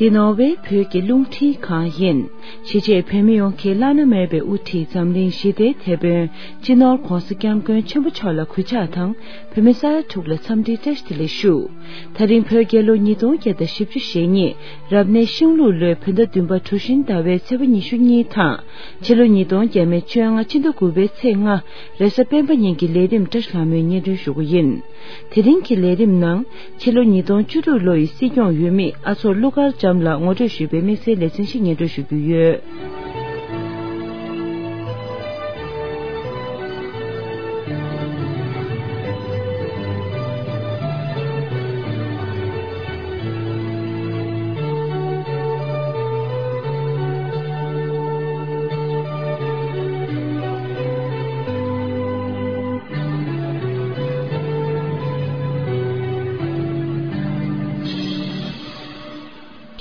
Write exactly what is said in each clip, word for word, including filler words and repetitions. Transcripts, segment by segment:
འདི་ནོར་ཝེ་བོད་ཀྱི་རླུང་འཕྲིན་ཁང་ཡིན། གཞིས་བྱེས་བོད་མི་ཡོངས་ཀྱི་བླ་ན་མེད་པའི་དབུ་ཁྲིད་འཛམ་གླིང་ཞི་བདེའི་དེད་དཔོན་སྤྱི་ནོར་༧གོང་ས་༧སྐྱབས་མགོན་ཆེན་པོ་མཆོག་ལ་གུས་ཕྱག་དང་། བོད་མི་ས་ཡ་དྲུག་ལ་འཚམས་འདྲིའི་བཀྲ་ཤིས་བདེ་ལེགས་ཞུ། ད་རིང་བོད་རྒྱལ་ལོ་ཉིས་སྟོང་བརྒྱ་དང་བཞི་བཅུ་ཞེ་གཉིས་རབ་གནས་ཤིང་ལུག་ལོའི་བོད་ཟླ་བདུན་པ་གྲུ་བཞིན་ཟླ་བའི་ཚེས་པ་ཉི་ཤུ་གཉིས་དང་། ཕྱི་ལོ་ཉིས་སྟོང་བརྒྱ་མེད་བཅོ་ལྔ་ཕྱི་ཟླ་དགུ་པའི་ཚེས་ལྔ་རེས་གཟའ་སྤེན་པ་ཉིན་གྱི་ལས་རིམ་བཀྲ་ཤིས་ལྷ་མོས་སྙན་སྒྲོན་ཞུ་གི་ཡིན། དེ་རིང་གི་ལས་རིམ་ནང་ཕྱི་ལོ་ཉིས་སྟོང་བཅུ་དྲུག་ལོ་ཡི་སྲིད་སྐྱོང་འོས་མི་ཨ་མཆོག་ཀླུ་མཁར་བྱམས་ལགས་ངོ་སྤྲོད་ཞུས་པའི་དམིགས་བསལ་ལེ་ཚན་ཞིག་སྙན་སྒྲོན་ཞུ་རྒྱུ་ཡོད།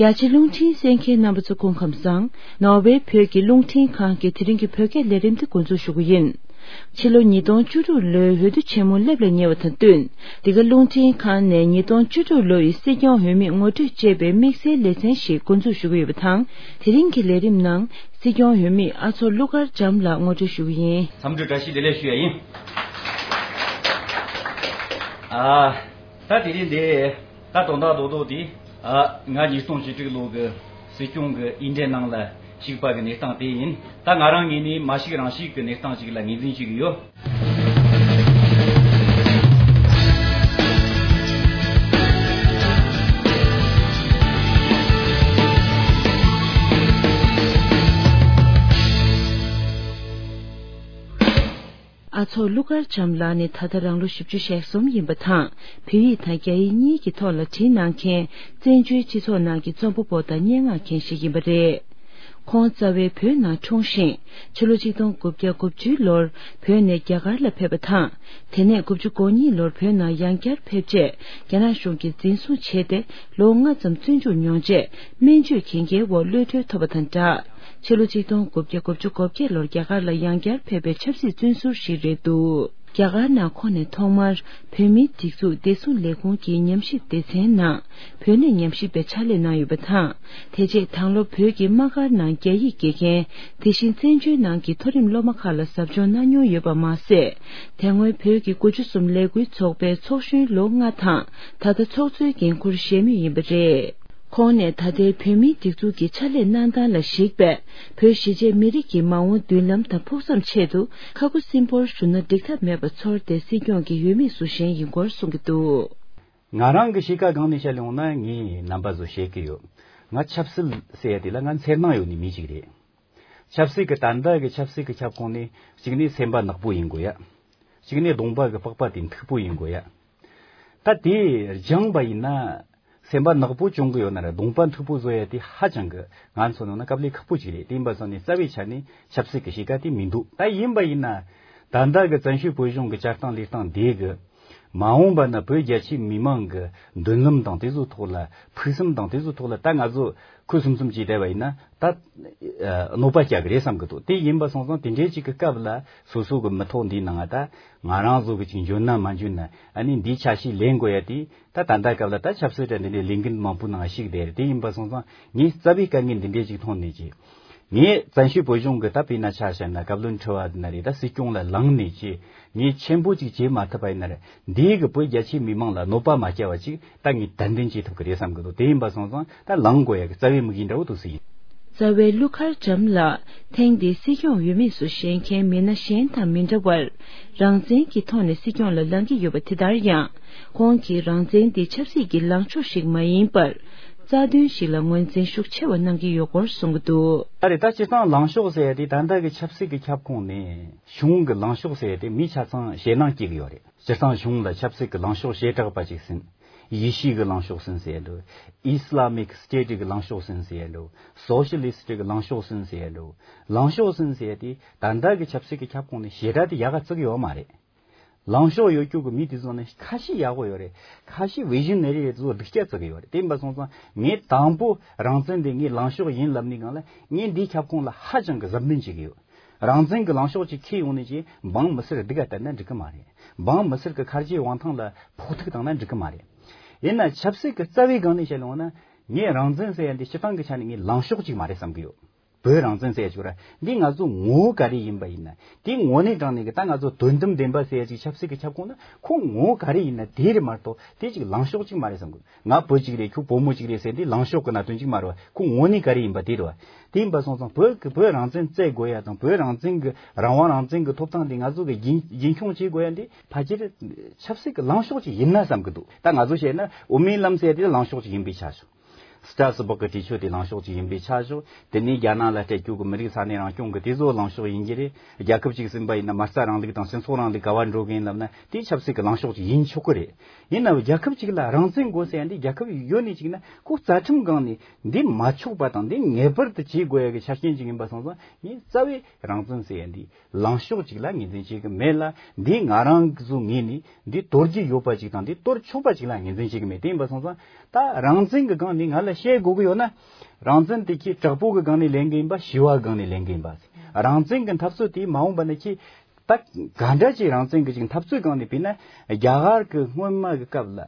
རྒྱ་ཆེ་རླུང་འཕྲིན་གསན་མཁན་རྣམ་པ་ཚོ་སྐུ་ཁམས་བཟང་། ནོར་ཝེ་བོད་ཀྱི་རླུང་འཕྲིན་ཁང་གི་དེ་རིང་གི་བོད་སྐད་ལས་རིམ་དེ་འགོ་འཛུགས་ཞུ་གི་ཡིན། ཕྱི་ལོ་ཉིས་སྟོང་བཅུ་དྲུག་ལོའི་འོས་བསྡུ་ཆེན་མོ་སླེབས་ལ་ཉེ་བ་དང་བསྟུན། འདི་ག་རླུང་འཕྲིན་ཁང་ནས་ཉིས་སྟོང་བཅུ་དྲུག་ལོ་ཡི་སྲིད་སྐྱོང་འོས་མི་ངོ་སྤྲོད་ཅེས་པའི་དམིགས་བསལ་ལེ་ཚན་ཞིག་འགོ་འཛུགས་ཞུ་གི་ཡོད་པ་དང་། དེ་རིང་གི་ལས་རིམ་ནང་སྲིད་སྐྱོང་འོས་མི་ཨ་མཆོག་ཀླུ་མཁར་བྱམས་ལགས་ངོ་སྤྲོད་ཞུ་གི་ཡིན། འཚམས་འདྲི་བཀྲ་ཤིས་བདེ་ལེགས་ཞུ་ཡ་ཡིན། ཨ། ད་དེ་རིང་འདི་ད་དོན་དག་རྡོག་རྡོག་དེ། ཨ། ང་ཉིས་སྟོང་བཅུ་དྲུག་ལོ་གི་སྲིད་སྐྱོང་གི་འོས་འདེམས་ནང་ལ་ཞུགས་པ་གི་གནས་སྟངས་དེ་ཡིན། ད་ང་རང་ངོས་ནས་མ་ཞུགས་རང་ཞུགས་ཀྱི་གནས་སྟངས་ཤིག་ལ་ངོས་འཛིན་ཞུ་གི་ཡོད། ཨ་མཆོག་ཀླུ་མཁར་བྱམས་ལགས་ནི་ད་ལྟ་རང་ལོ་བཞི་བཅུ་ཞེ་གསུམ་ཡིན་པ་དང་། བོད་ཡིག་དང་རྒྱ་ཡིག་གཉིས་ཀྱི་ཐོག་ལ་བྲིས་གནང་མཁན་བཙན་བྱོལ་སྤྱི་ཚོགས་ནང་གི་རྩོམ་པ་པོ་དང་སྙན་ངག་མཁན་ཞིག་ཡིན་པ་རེད། ཁོང་རྩ་བའི་བོད་ནང་འཁྲུངས་ཤིང་། ཕྱི་ལོ་ཆིག་སྟོང་དགུ་བརྒྱ་དགུ་བཅུའི་ལོར་བོད་ནས་རྒྱ་གར་ལ་ཕེབས་པ་དང་། དེ་ནས་དགུ་བཅུ་གོ་གཉིས་ལོར་བོད་ནང་ཡང་བསྐྱར་ཕེབས་རྗེས། རྒྱ་ནག་གཞུང་གིས་འཛིན་བཟུང་བྱས་ཏེ། ལོ་ལྔ་ཙམ་བཙོན་འཇུག་མྱོང་རྗེས། སྨན་བཅོས་གན་རྒྱའི་འོག་གློད་གྲོལ་ཐོབ་པ་དང་སྦྲགས། ཕྱི་ལོ་ཆིག་སྟོང་དགུ་བརྒྱ་དགུ་བཅུ་གོ་བརྒྱད་ལོར་རྒྱ་གར་ལ་ཡང་བསྐྱར་ཕེབས་པའི་ཆབ་སྲིད་བཙོན་ཟུར་ཞིག་རེད་འདུག་རྒྱ་གར་ནང་ཁོང་ནས་ཐོག་མར་བོད་མིའི་སྒྲིག་འཛུགས་བདེ་སྲུང་ལས་ཁུངས་ཀྱི་ཉམས་ཞིབ་སྡེ་ཚན་ནང་བོད་གནས་ཉམས་ཞིབ་པའི་ཕྱག་ལས་གནང་ཡོད་པ་དང་། དེ་རྗེས་དང་ལོ་བོད་ཀྱི་དམག་སྒར་ནང་རྒྱ་ཡིག་དགེ་རྒན། དེ་བཞིན་བཙན་བྱོལ་ནང་གི་མཐོ་རིམ་སློབ་མ་ཁག་ལ་ཟབ་སྦྱོང་གནང་མྱོང་ཡོད་པ་མ་ཟད། དེ་སྔོན་བོད་ཀྱི་དགུ་བཅུ་གསུམ་ལས་འགུལ་ཚོགས་པའི་ཚོགས་གཞོན་ལོ་ལྔ་དང་། ད་ལྟ་ཚོགས་གཙོའི་འགན་འཁུར་བཞེས་མུས་ཡིན་པ་རེད། ཁོང་ནས་ད་ལྟའི་བོད་མིའི་སྒྲིག་འཛུགས་ཀྱི་ཕྱག་ལས་གནང་སྟངས་ལ་གཞིགས་པས། བོད་གཞིས་བྱེས་མི་རིགས་ཀྱི་མ་འོངས་མདུན་ལམ་དང་ཕུགས་བསམ་ཆེད་དུ་ཁ་ཁུ་སིམ་པོར་བཞུགས་ན་འགྲིག་ཐབས་མེད་པ་ཚོར་ཏེ་སྲིད་སྐྱོང་གི་འོས་མི་སུ་གཞན་ཡིན་སྐོར་གསུང་གི་འདུག་ང་རང་གི་གཤིས་ཀ་སྒང་ནས་བཤད་ཡོང་ན་ངས་རྣམ་པ་ཚོ་བཤད་ཀྱི་ཡོད། ང་ཆབ་སྲིད་ཟེར་ཡ་དེ་ལ་ང་འཚེར་སྣང་ཡོད་ནི་མི་ཞིག་རེད། ཆབ་སྲིད་ཀྱི་ད་ལྟ་གི་ཆབ་སྲིད་ཀྱི་ཁྱབ་ཁོངས་ནས་གཅིག་ནས་སེམས་པ་ནག་པོ་ཡིན་དགོས་ཡ། གཅིག་ནས་གདོང་པ་གི་པགས་པ་དེ་མཐུག་པོ་ཡིན་དགོས་ཡ། ད་དེ་སྦྱངས་པ་ཡིན་ན། སེམས་པ་ནག་པོ་བྱུང་གི་ཡོད་ན་ར་གདོང་པ་མཐུག་པོ་བཟོ་ཡ་དེ་ཧ་ཅང་གི་ང་ཚོ་ནང་ན་དཀའ་ལས་ཁག་པོ་ཅིག་རེད། དེ་ཡིན་པ་སོང་ནས་རྩ་བའི་ཆ་ནས་ཆབ་སྲིད་ཀྱི་གཤིས་ཀ་དེ་མི་འདུག་ད་ཡིན་པ་ཡིན་ན། ད་ལྟ་གི་བཙན་བྱོལ་བོད་གཞུང་གི་བཅའ་སྟངས་ལས་སྟངས་འདི་གི་མ་འོངས་པ་ན་བོད་རྒྱ་ཆེའི་མི་མང་གི་མདུན་ལམ་དང་དེ་ཚོའི་ཐོག་ལ་ཕུགས་བསམ་དང་དེ་ཚོའི་ཐོག་ལ་ད་ང་ཚོ་ཁུ་སིམ་སིམ་བྱས་བསྡད་པ་ཡིན་ན་ད་གནོད་པ་སྐྱེལ་གི་རེད་བསམ་གི་འདུག་དེ་ཡིན་པ་སོང་ཙང་དེ་འདྲའི་ཅིག་གི་སྐབས་ལ་སོ་སོ་གི་མི་ཐོག་འདིའི་ནང་ང་ད་ང་རང་ཚོ་གི་ཅིག་འཇོན་ན་མ་འཇོན་ན་ཨ་ནི་འདིའི་ཆ་ཤས་ལེན་དགོས་ཡ་དེ། ད་ད་ལྟ་སྐབས་ལ་ད་ཆབ་སྲིད་དང་འདི་འདྲའི་ལས་འགུལ་མང་པོའི་ནང་ཞུགས་བསྡད་རེད། དེ་ཡིན་པ་སོང་ཙང་ངས་རྩ་བའི་དཀའ་ངལ་འདི་འདྲའི་ཅིག་མཐོང་ནས་ཀྱི། ངས་བཙན་བྱོལ་བོད་གཞུང་གི་ད་དཔེར་ན་ཆ་བཞག་ན་བཀའ་བློན་ཁྲི་པ་འདི་ན་རེད། ད་སྲིད་སྐྱོང་ལ་ལངས་ནས་ཀྱི་ངས་ཆེན་པོ་ཅིག་བྱེད་མ་ཐུབ་པ་ཡིན་ན་རེད། འདིའི་གི་བོད་རྒྱ་ཆེའི་མི་མང་ལ་གནོད་པ་མ་སྐྱེལ་བ་ཅིག་ད་ངས་ཏན་ཏན་བྱེད་ཐུབ་ཀྱི་རེད་བསམ་གི་འདུག་དེ་ཡིན་པ་སོང་ཙང་ད་ལངས་དགོས་ཡ་གི་རྩ་བའི་དམིགས་ཡུལ་འདྲ་བོ་འདུག་ཟེར་ཡིན། རྩ་བའི་ཀླུ་མཁར་བྱམས་ལགས་ཐེངས་འདིའི་སྲིད་སྐྱོང་འོས་མི་སུ་བཞེངས་མཁན་མི་སྣ་གཞན་དང་མི་འདྲ་བར། རང་བཙན་གྱི་ཐོག་ནས་སྲིད་སྐྱོང་ལ་ལངས་ཀྱི་ཡོད་པ་དེ་ལྟར་ཡང་། ཁོང་གིས་རང་བཙན་དེ་ཆབ་སྲིད་ཀྱི་ལངས་ཕྱོགས་ཤིག་མ་ཡིན་པར། རྩ་དོན་ཞིག་ལ་ངོས་འཛིན་ཤུགས་ཆེ་བ་གནང་གི་ཡོད་སྐོར་གསུང་གི་འདུག་ད་རེས་ད་སྤྱིར་བཏང་ལངས་ཕྱོགས་ཟེར་ཡ་དེ་ད་ལྟ་གི་ཆབ་སྲིད་ཀྱི་ཁྱབ་ཁོངས་ནས་གཞུང་གི་ལངས་ཕྱོགས་ཟེར་ཡ་དེ་མིས་ཆ་ཚང་ཞེད་སྣང་སྐྱེ་གི་ཡོད་རེད། སྤྱིར་བཏང་གཞུང་ལ་ཆབ་སྲིད་ཀྱི་ལངས་ཕྱོགས་བྱེ་བྲག་པ་ཅིག་ཟིན། ཡེ་ཤུ་གི་ལངས་ཕྱོགས་ཟིན་ཟེར་ཡ་འདུག་ཨི་སི་ལ་མིག་སི་ཊེ་ཊི་གི་ལངས་ཕྱོགས་ཟིན་ཟེར་ཡ་འདུག་སོ་ཤི་ལི་སི་ཊི་གི་ལངས་ཕྱོགས་ཟིན་ཟེར་ཡ་འདུག་ལངས་ཕྱོགས་ཟིན་ཟེར་ཡ་དེ་ད་ལྟ་གི་ཆབ་སྲིད་ཀྱི་ཁྱབ་ཁོངས་ནས་ཞེ་དྲག་དེ་ཡག་ག་བརྩི་གི་ཡོད་མ་རེད། ལངས་ཕྱོགས་ཡོད་རྒྱུ་གི་མི་དེ་ཚོ་ནི་ཁ་ཤས་ཡག་པོ་ཡོད་རེད། ཁ་ཤས་བི་ཞི་ན་རི་རེད། དེ་ཚོ་སྡུག་ཅག་བརྩི་གི་ཡོད་རེད། དེ་ཡིན་པ་སོང་ཙང་ངས་དང་པོ་རང་བཙན་དེ་ངའི་ལངས་ཕྱོགས་ཡིན་ལབ་ནི་སྒང་ལ་ངས་འདིའི་ཁྱབ་ཁོངས་ལ་ཧ་ཅང་གི་གཟབ་ནན་བྱེད་ཀྱི་ཡོད། རང་བཙན་གྱི་ལངས་ཕྱོགས་ཅིག་ཁྱེར་ཡོང་ནས་ཅིག་འབངས་མི་སེར་སྡུག་ག་བསྟན་ན་འགྲིག་གི་མ་རེད། འབངས་མི་སེར་གྱི་ཁ་རྗེ་དབང་ཐང་ལ་ཕོག་ཐུག་བཏང་ན་འགྲིག་གི་མ་རེད། ཡིན་ན་ཆབ་སྲིད་ཀྱི་རྩ་བའི་སྒང་ནས་བཤད་ཡོང་ན། ངས་རང་བཙན་ཟེར་ཡ་འདི་སྤྱིར་བཏང་གི་ཆ་ནས་ངས་ལངས་ཕྱོགས་ཅིག་མ་རེད་བསམ་གི་ཡོད། བོད་རང་བཙན་ཟེར་ཡ་ཅིག་ར་འདི་ང་ཚོ་ངོ་བོ་ག་རེ་ཡིན་པ་ཡིན་ན། དེ་ངོ་ནས་དྲངས་ནས་གི་ད་ང་ཚོ་དོན་དམ་བདེན་པ་ཟེར་ཡ་ཅིག་ཆབ་སྲིད་ཀྱི་ཁྱབ་ཁོངས་ན་ཁོ་ངོ་བོ་ག་རེ་ཡིན་ན་དེ་རེད་མ་གཏོགས་དེ་ཅིག་ལངས་ཕྱོགས་ཅིག་མ་རེད་བསམ་གི། ང་བོད་ཅིག་རེད། ཁྱོད་བོད་མོ་ཅིག་རེད་ཟེར་འདི་ལངས་ཕྱོགས་ཀྱི་གནད་དོན་ཅིག་མ་རེད་བ། ཁོ་ངོ་ནས་ག་རེ་ཡིན་པ་དེ་རེད་བ། དེ་ཡིན་པ་སོང་ཙང་བོད་ཀྱི་བོད་རང་བཙན་རྩོད་དགོས་ཡ་དང་བོད་རང་བཙན་གྱི་རང་དབང་རང་བཙན་གྱི་ཐོབ་ཐང་འདི་ང་ཚོ་གི་རྒྱུན་རྒྱུན་འཁྱོངས་བྱེད་དགོས་ཡ་འདི་ཕལ་ཆེར་ཆབ་སྲིད་ཀྱི་ལངས་ཕྱོགས་ཅིག་ཡིན་ན་བསམ་གི་འདུག། ད་ང་ཚོ་བཤད་ན་དབུ་མའི་ལམ་ཟེར་དེ་ལངས་ཕྱོགས་ཅིག་ཡིན་པའི་ཆ་བཞག། སི་ཏྲ་སི་སྦུག་གི་གྲོས་ཆོད་དེ་ལངས་ཕྱོགས་ཅིག་ཡིན་པའི་ཆ་བཞག། དེ་ནས་རྒྱ་ནག་ལ་སྤྲད་རྒྱུ་གི་མི་རིགས་ས་གནས་རང་སྐྱོང་གི་དེ་ཚོ་ལངས་ཕྱོགས་ཡིན་གྱི་རེད། རྒྱལ་ཁབ་ཅིག་ཟིན་པ་ཡིན་ན་མ་རྩ་རིང་ལུགས་དང་སྤྱི་ཚོགས་རིང་ལུགས་ག་བ་འགྲོ་གི་ཡིན་ལབ་ན་དེ་ཆབ་སྲིད་ཀྱི་ལངས་ཕྱོགས་ཅིག་ཡིན་ཆོག་གི་རེད། ཡིན་ནའང་རྒྱལ་ཁབ་ཅིག་ལ་རང་བཙན་དགོས་ཟེར་ཡ་འདི་རྒྱལ་ཁབ་ཡོད་ནས་ཅིག་ན་ཁོ་རྩ་ཁྲིམས་སྒང་ནས་འདི་མ་ཆོག་པ་དང་འདི་ངེས་པར་དུ་བྱེད་དགོས་ཡ་གི་ཆ་རྐྱེན་ཅིག་ཡིན་པ་སོང་ཙང་ངས་རྩ་བའི་རང་བཙན་ཟེར་ཡ་འདི་ལངས་ཕྱོགས་ཅིག་ལ་ངོས་འཛིན་བྱེད་ཀྱི་མེད་ལ། འདི་ང་རང་གི་ཚོ་ངོས་ནས་འདི་གཏོར་རྒྱུ་ཡོད་པ་ཅིག་དང་འདི་གཏོར་ཆོག་པ་ཅིག་ལ་ངོས་འཛིན་བྱེད་ཀྱི་མེད། དེ་ཡིན་པ་སོང་ཙང་ད་རང་བཙན་གྱི་སྒང་ནས་ང་ལ་བཤད་དགོས་ཀྱི་ཡོད་ན། རང་བཙན་དེ་ཁྱེད་དྲག་པོ་གི་སྒང་ནས་ལེན་གྱི་ཡིན་པ་ཞི་བ་སྒང་ནས་ལེན་གྱི་ཡིན་པ། རང་བཙན་གྱི་འཐབ་རྩོད་དེ་མ་འོངས་པ་ན་ཁྱེད་ད་ག་འདྲ་ཅིག་རང་བཙན་གྱི་ཅིག་འཐབ་རྩོད་སྒང་ནས་བྱས་ན་རྒྱ་གར་གྱི་སྔོན་མ་གི་སྐབས་ལ་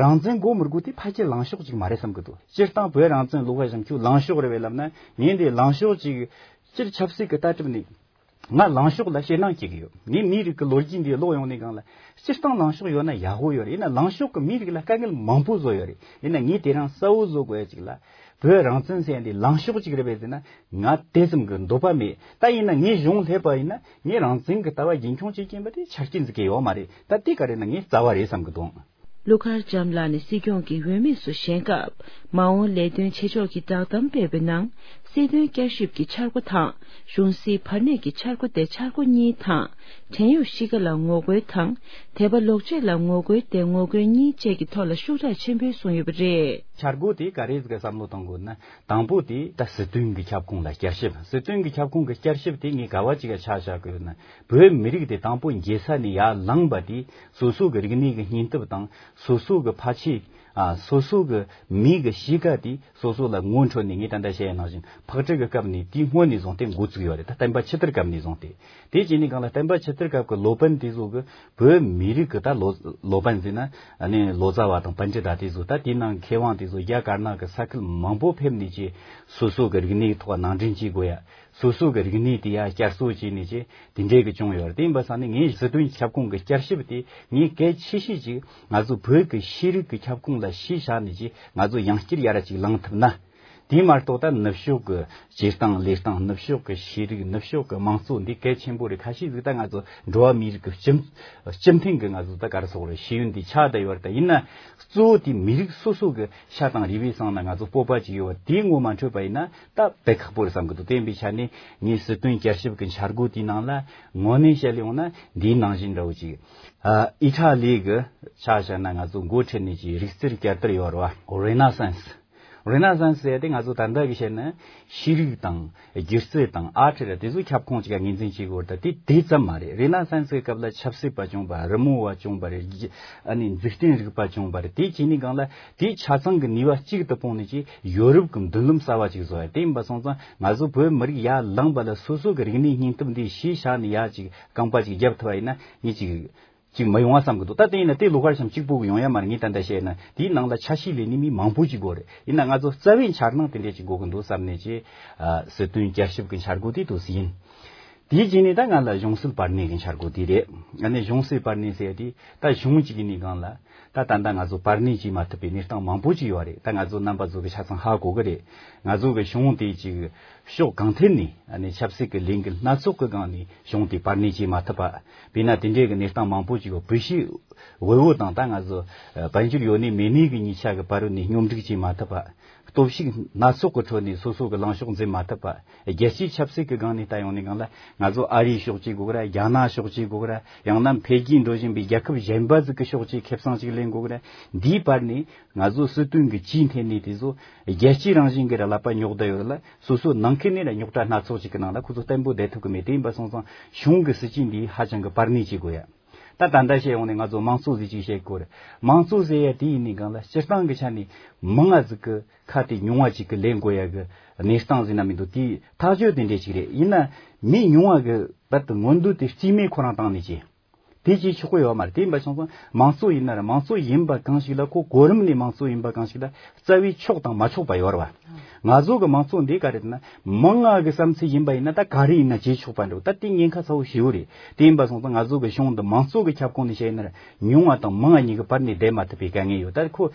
རང་བཙན་དགོས་མི་དགོས་དེ་ཕལ་ཆེར་ལངས་ཕྱོགས་ཅིག་མ་རེད་བསམ་གྱི་འདུག། སྤྱིར་བཏང་བོད་རང་བཙན་ལོག་པ་བཞིན་ཁྱོད་ལངས་ཕྱོགས་རེད་པས་ལབ་ན་ངས་འདི་ལངས་ཕྱོགས་ཅིག་སྤྱིར་ཆབ་སྲིད་ཀྱི་ལྟ་གྲུབ་ནས། ང་ལངས་ཕྱོགས་ལ་ཞེད་སྣང་སྐྱེ་གི་ཡོད། ངས་མིའི་རིགས་ཀྱི་ལོ་རྒྱུས་འདི་ཀློག་ཡོང་ནས་སྒང་ལ་སྤྱིར་བཏང་ལངས་ཕྱོགས་ཡོད་ན་ཡག་པོ་ཡོད་རེད། ཡིན་ན་ལངས་ཕྱོགས་ཀྱི་མིའི་རིགས་ལ་དཀའ་ངལ་མང་པོ་བཟོ་ཡོད་རེད། ཡིན་ན་ངས་དེ་རིང་གསལ་བོ་བཟོ་དགོས་ཡ་ཅིག་ལ་བོད་རང་བཙན་ཟེར་ཡ་འདི་ལངས་ཕྱོགས་ཅིག་རེད་པས་ཟེར་ན་ང་དེ་ཙམ་གྱི་འདོད་པ་མེད། ད་ཡིན་ན་ངས་གཞུང་སླེབས་པ་ཡིན་ན་ངས་རང་བཙན་གྱི་ལྟ་བ་རྒྱུན་འཁྱོངས་བྱེད་ཀྱིན་པ་དེ་ཆ་རྐྱེན་ཟིག་གི་ཡོད་མ་རེད། ད་དེ་ག་རེད་ན་ངས་རྩ་བ་རེད་བསམ་གི་འདུག། ཀླུ་མཁར་བྱམས་ལགས་ནས་སྲིད་སྐྱོང་གི་འོས་མི་སུ་བཞེངས་སྐབས་མ་འོངས་ལས་དོན་བྱེད་ཕྱོགས་ཀྱི་བསྒྲགས་གཏམ་སྤེལ་བའི་ནང་སྲིད་དོན་བསྐྱར་ཞིབ་ཀྱི་འཆར་སྒོ་དང་གཞུང་སྲིད་བར་གནས་ཀྱི་འཆར་སྒོ་སྟེ་འཆར་སྒོ་གཉིས་དང་བྲན་གཡོག་གཤིས་ཀ་ལ་ངོ་རྒོལ་དང་དད་པ་ལོག་སྤྱོད་ལ་ངོ་རྒོལ་སྟེ་ངོ་རྒོལ་གཉིས་བཅས་ཀྱི་ཐོག་ལ་ཤུགས་དྲག་ཆེན་པོས་གསུངས་ཡོད་པ་རེད། འཆར་སྒོ་དེ་ག་རེ་ཟིག་བསམ་བློ་གཏོང་དགོས་ན། དང་པོ་དེ་ད་སྲིད་དོན་གྱི་ཁྱབ་ཁོངས་ལ་བསྐྱར་ཞིབ། སྲིད་དོན་གྱི་ཁྱབ་ཁོངས་ཀྱི་བསྐྱར་ཞིབ་དེ་ངས་ག་བ་ཅིག་ག་ཆ་བཞག་གི་ཡོད་ན། བོད་མི་རིགས་དེ་དང་པོ་འགྱེལ་ས་ནས་ཡར་ལངས་པ་དེ་སོ་སོ་གི་རིག་གནས་ཀྱི་སྙིང་སྟོབས་དང་སོ་སོ་གི་ཕ་ཆས། ཨ། སོ་སོ་གི་མི་གི་གཤིས་ཀ་དེ་སོ་སོ་ལ་ངོ་འཕྲོད་ནས། ངས་ད་ལྟ་བཤད་ཡ་ནང་བཞིན་ཕག་གྲུ་གི་སྐབས་ནས་དེའི་སྔོན་ནས་བཟུང་སྟེ་འགོ་བཙུགས་ཡོད་རེད། ད་བསྟན་པ་ཆོས་དར་སྐབས་ནས་བཟུང་སྟེ། དེ་བྱས་ནས་གང་ལ་བསྟན་པ་ཆོས་དར་སྐབས་ཀྱི་ལོ་པཎ་དེ་ཚོ་གི་བོད་མི་རིགས་ཀྱི་ད་ལོ་ལོ་པཎ་ཟེར་ན་ཨ་ནི་ལོ་ཙཱ་བ་དང་པཎྜི་ཏ་དེ་ཚོ། ད་དེའི་ནང་མཁས་དབང་དེ་ཚོ་རྒྱ་དཀར་ནག་གི་ས་ཁུལ་མང་པོ་ཕེབས་ནས་ཀྱི་སོ་སོ་གི་རིག་གནས་ཐོག་ནང་འདྲེན་བྱེད་དགོས་ཡ། སོ་སོ་གི་རིག་གནས་དེ་ཡ་བསྐྱར་གསོ་བྱས་ནས་ཀྱི་དེ་འདྲའི་གི་བྱུང་ཡོད་རེད། དེ་ཡིན་པ་སང་ནི་ངས་སྲིད་དོན་ཁྱབ་ཁོངས་ཀྱི་བསྐྱར་ཞིབ་དེ་ངས་གལ་ཆེ་ཤོས་ཅིག་ང་ཚོ་བོད་ཀྱི་ཤེས་རིག་གི་ཁྱབ་ཁོངས་ལ་གཞི་བཞག་ནས་ཀྱི་ང་ཚོ་ཡང་བསྐྱར་ཡར་ཅིག་ལངས་ཐུབ་ན། དེ་མ་གཏོགས་ད་ནུབ་ཕྱོགས་ཀྱི་བྱེད་སྟངས་ལས་སྟངས། ནུབ་ཕྱོགས་ཀྱི་ཤེས་རིག་ནུབ་ཕྱོགས་ཀྱི་དམངས་གཙོ་འདི་གལ་ཆེན་པོ་རེད། ཁ་ཤས་ཟིག་ད་ང་ཚོ་འགྲོ་བ་མིའི་རིགས་ཀྱི་སྤྱི་སྤྱི་མཐུན་གྱི་ང་ཚོ་ད་ག་རེ་ཟེར་དགོས་རེད། ཤེས་ཡོན་འདི་ཆགས་བསྡད་ཡོད་རེད། ད་ཡིན་ན་གཙོ་བོ་དེ་མི་རིགས་སོ་སོ་གི་ཤ་དང་རུས་པའི་གསེང་ན་ང་ཚོ་སྤོབས་པ་ཅིག་ཡོད་པ་དེ་ངོ་མ་འཕྲོད་པ་ཡིན་ན་ད་དཔེ་ཁག་པོ་རེད་བསམ་གི་འདུག། དེ་ཡིན་པའི་ཆ་ནས་ངས་སྲིད་དོན་བསྐྱར་ཞིབ་ཀྱི་འཆར་སྒོ་དེའི་ནང་ལ་དངོས་གནས་བཤད་ཡོང་ན་འདིའི་ནང་བཞིན་འདྲ་བོ་ཅིག། ཨ། ཨི་ཊ་ལི་གི་ཆ་བཞག་ན་ང་ཚོ་འགོ་ཁྲིད་ནས་ཀྱི་རིག་རྩལ་བསྐྱར་དར་ཡོད་རེད་བ། རེ་ན་སན་སི། རེ་ན་སན་སི་ཟེར་ཡ་དེ་ང་ཚོ་ད་ལྟ་གི་བཤད་ན་ཤེས་རིག་དང་སྒྱུ་རྩལ་དང་ཨར་ཊི་ར་དེ་ཚོ་ཁྱབ་ཁོངས་གཅིག་ག་ངོས་འཛིན་བྱེད་དགོས་རེད། ད་དེ་དེ་ཙམ་མ་རེད། རེ་ན་སན་སི་གི་སྐབས་ལ་ཆབ་སྲིད་པ་བྱུང་བ། རི་མོ་བ་བྱུང་བ་རེད། ཨ་ནི་འཇིག་རྟེན་རིག་པ་བྱུང་བ་རེད། དེ་བྱས་ནས་གང་ལ་དེའི་ཆ་ཚང་གི་ནུས་པ་གཅིག་ཏུ་སྤུངས་ནས་ཀྱི་ཡོ་རོབ་ཀྱི་མདུན་ལམ་གསར་བ་ཅིག་བཟོ་ཡ། དེ་ཡིན་པ་སོང་ཙང་ང་ཚོ་བོད་མི་རིགས་ཡར་ལངས་པ་ལ་སོ་སོ་གི་རིག་གནས་སྙིང་སྟོབས་འདི་གཞི་བཞག་ནས་ཡར་ཅིག་རྐང་པ་ཅིག་བརྒྱབ་ཐུབ་པ་ཡིན་ན་ངས་ཅིག་ཅིག་མི་ཡོང་བ་བསམ་གི་འདུག། ད་དེ་ཡིན་ན་དེ་ལོ་ཁར་ཤམ་གཅིག་པོ་གི་ཡོང་ཡ་མ་རེད། ངས་ད་ལྟ་བཤད་ན་དེའི་ནང་ལ་ཆ་ཤས་ལས་ནི་མི་མང་པོ་ཅིག་དགོས་རེད། ཡིན་ན་ང་ཚོ་རྩ་བའི་འཆར་སྣང་དེ་འདྲས་ཅིག་དགོས་གི་འདུག་བསམ་ནས་ཀྱི། ཨ། སྲིད་དོན་བསྐྱར་ཞིབ་གི་འཆར་སྒོ་དེ་དུ་ཡིན། དེའི་རྗེས་ནས་ད་ང་ལ་གཞུང་སྲིད་བར་གནས་ཀྱི་འཆར་སྒོ་དེ་རེད། ཨ་ནི་གཞུང་སྲིད་བར་གནས་ཟེར་ཡ་དེ་ད་གཞུང་གཅིག་ཡིན་ནི་སྒང་ལ་ད་ད་ལྟ་ང་ཚོ་བར་གནས་བྱེད་མ་ཐུབ་པའི་གནས་སྟངས་མང་པོ་ཅིག་ཡོད་རེད། ད་ང་ཚོ་རྣམ་པ་ཚོ་གི་ཆ་ཚང་ཧ་གོ་གི་རེད། ང་ཚོ་གི་གཞུང་དེ་ཅིག་ཕྱོགས་གང་ཐད་ནས་ཨ་ནི་ཆབ་སྲིད་ཀྱི་ལས་འགུལ་སྣ་ཚོགས་ཀྱི་སྒང་ནས་གཞུང་དེ་བར་གནས་བྱེད་མ་ཐུབ་པ། དཔེར་ན་དེ་འདྲའི་གི་གནས་སྟངས་མང་པོ་ཅིག་ཡོད། བོད་ཤིག་འོས་བོ་དང་ད་ང་ཚོ་ཨ་དཔལ་འབྱོར་ཡོད་ནི་མེད་ནི་གི་གཉིས་ཆ་གི་བར་ནས་སྙོམས་སྒྲིག་བྱེད་མ་ཐུབ་པ། སྟོབས་ཤུགས་སྣ་ཚོགས་ཀྱི་ཁྲོད་ནས་སོ་སོ་གི་ལངས་ཕྱོགས་འཛིན་མ་ཐུབ་པ། རྒྱལ་སྤྱིའི་ཆབ་སྲིད་ཀྱི་སྒང་ནས་ལྟ་ཡོང་ནི་སྒང་ལ་ང་ཚོ་ཨ་རིའི་ཕྱོགས་གཅིག་དགོས་གི་ར། རྒྱ་ནག་ཕྱོགས་གཅིག་དགོས་གི་ར། ཡང་ན་འཕེལ་རྒྱས་འགྲོ་བཞིན་པའི་རྒྱལ་ཁབ་གཞན་པ་ཟིག་གི་ཕྱོགས་གཅིག་ཁེ་བཟང་ཅིག་ལེན་དགོས་གི་ར། འདིའི་བར་ནས་ང་ཚོ་སྲིད་དོན་གྱི་ཇུས་འཐེན་ནི་དེ་ཚོ་རྒྱལ་སྤྱིའི་རང་བཞིན་གྱི་ར་ལག་པ་རྙོག་བསྡད་ཡོད་རེད་ལ། སོ་སོ་ནང་ཁུལ་ནས་ར་རྙོག་དྲ་སྣ་ཚོགས་ཅིག་གི་ནང་ལ་ཁོ་ཚོ་བརྟན་པོ་བསྡད་ཐུབ་གི་མེད། དེ་ཡིན་པ་སོང་ཙང་གཞུང་གི་སྲིད་ཇུས་འདི་ཧ་ཅང་གི་བར་གནས་བྱེད་དགོས་ཡ། ད་ད་ལྟ་བཤད་ཡོང་ནས་ང་ཚོ་དམངས་གཙོ་ཟེར་ཅིག་བཤད་དགོས་རེད། དམངས་གཙོ་ཟེར་ཡ་དེ་ཡིན་ནི་སྒང་ལ་སྤྱིར་བཏང་གི་ཆ་ནས་མང་ང་ཟིག་གི་ཁ་དེ་ཉུང་བ་ཅིག་གི་ལེན་དགོས་ཡ་གི་གནས་སྟངས་ཟེར་ན་མི་འདུག། དེའི་ཐག་གཅོད་དེ་འདྲས་ཅིག་རེད། ཡིན་ན་མི་ཉུང་བ་གི་བར་དུ་མངོན་འདོད་དེ་རྩིས་མེད་ཁོ་རང་བཏང་ནས་ཅི། དེ་བྱེད་ཆོག་གི་ཡོད་མ་རེད། དེ་ཡིན་པ་སོང་ཙང་མང་གཙོ་ཡིན་ན་ར་མང་གཙོ་ཡིན་པ་གང་ཞིག་ལ་ཁོ་གོ་རིམ་ནས་མང་གཙོ་ཡིན་པ་གང་ཞིག་ལ་རྩ་བའི་ཆོག་དང་མ་ཆོག་པ་ཡོད་རེད་བ། ང་ཚོ་གི་མང་གཙོ་འདི་ག་རེད་ན་མང་ང་གི་བསམ་ཚུལ་ཡིན་པ་ཡིན་ན་ད་ག་རེ་ཡིན་ན་བྱེད་ཆོག་པ་འདྲ་བོ། ད་དེ་ཉེན་ཁ་ཚ་བོ་ཞེ་བོ་རེད། དེ་ཡིན་པ་སོང་ཙང་ང་ཚོ་གི་གཞུང་འདི་མང་གཙོ་གི་ཁྱབ་ཁོངས་ནས་བཤད་ན་ར་ཉུང་བ་དང་མང་བ་གཉིས་ཀྱི་བར་ནས་བསྡད་མ་ཐུབ་པའི་དཀའ་ངལ་ཡོད། ད་ཁོ་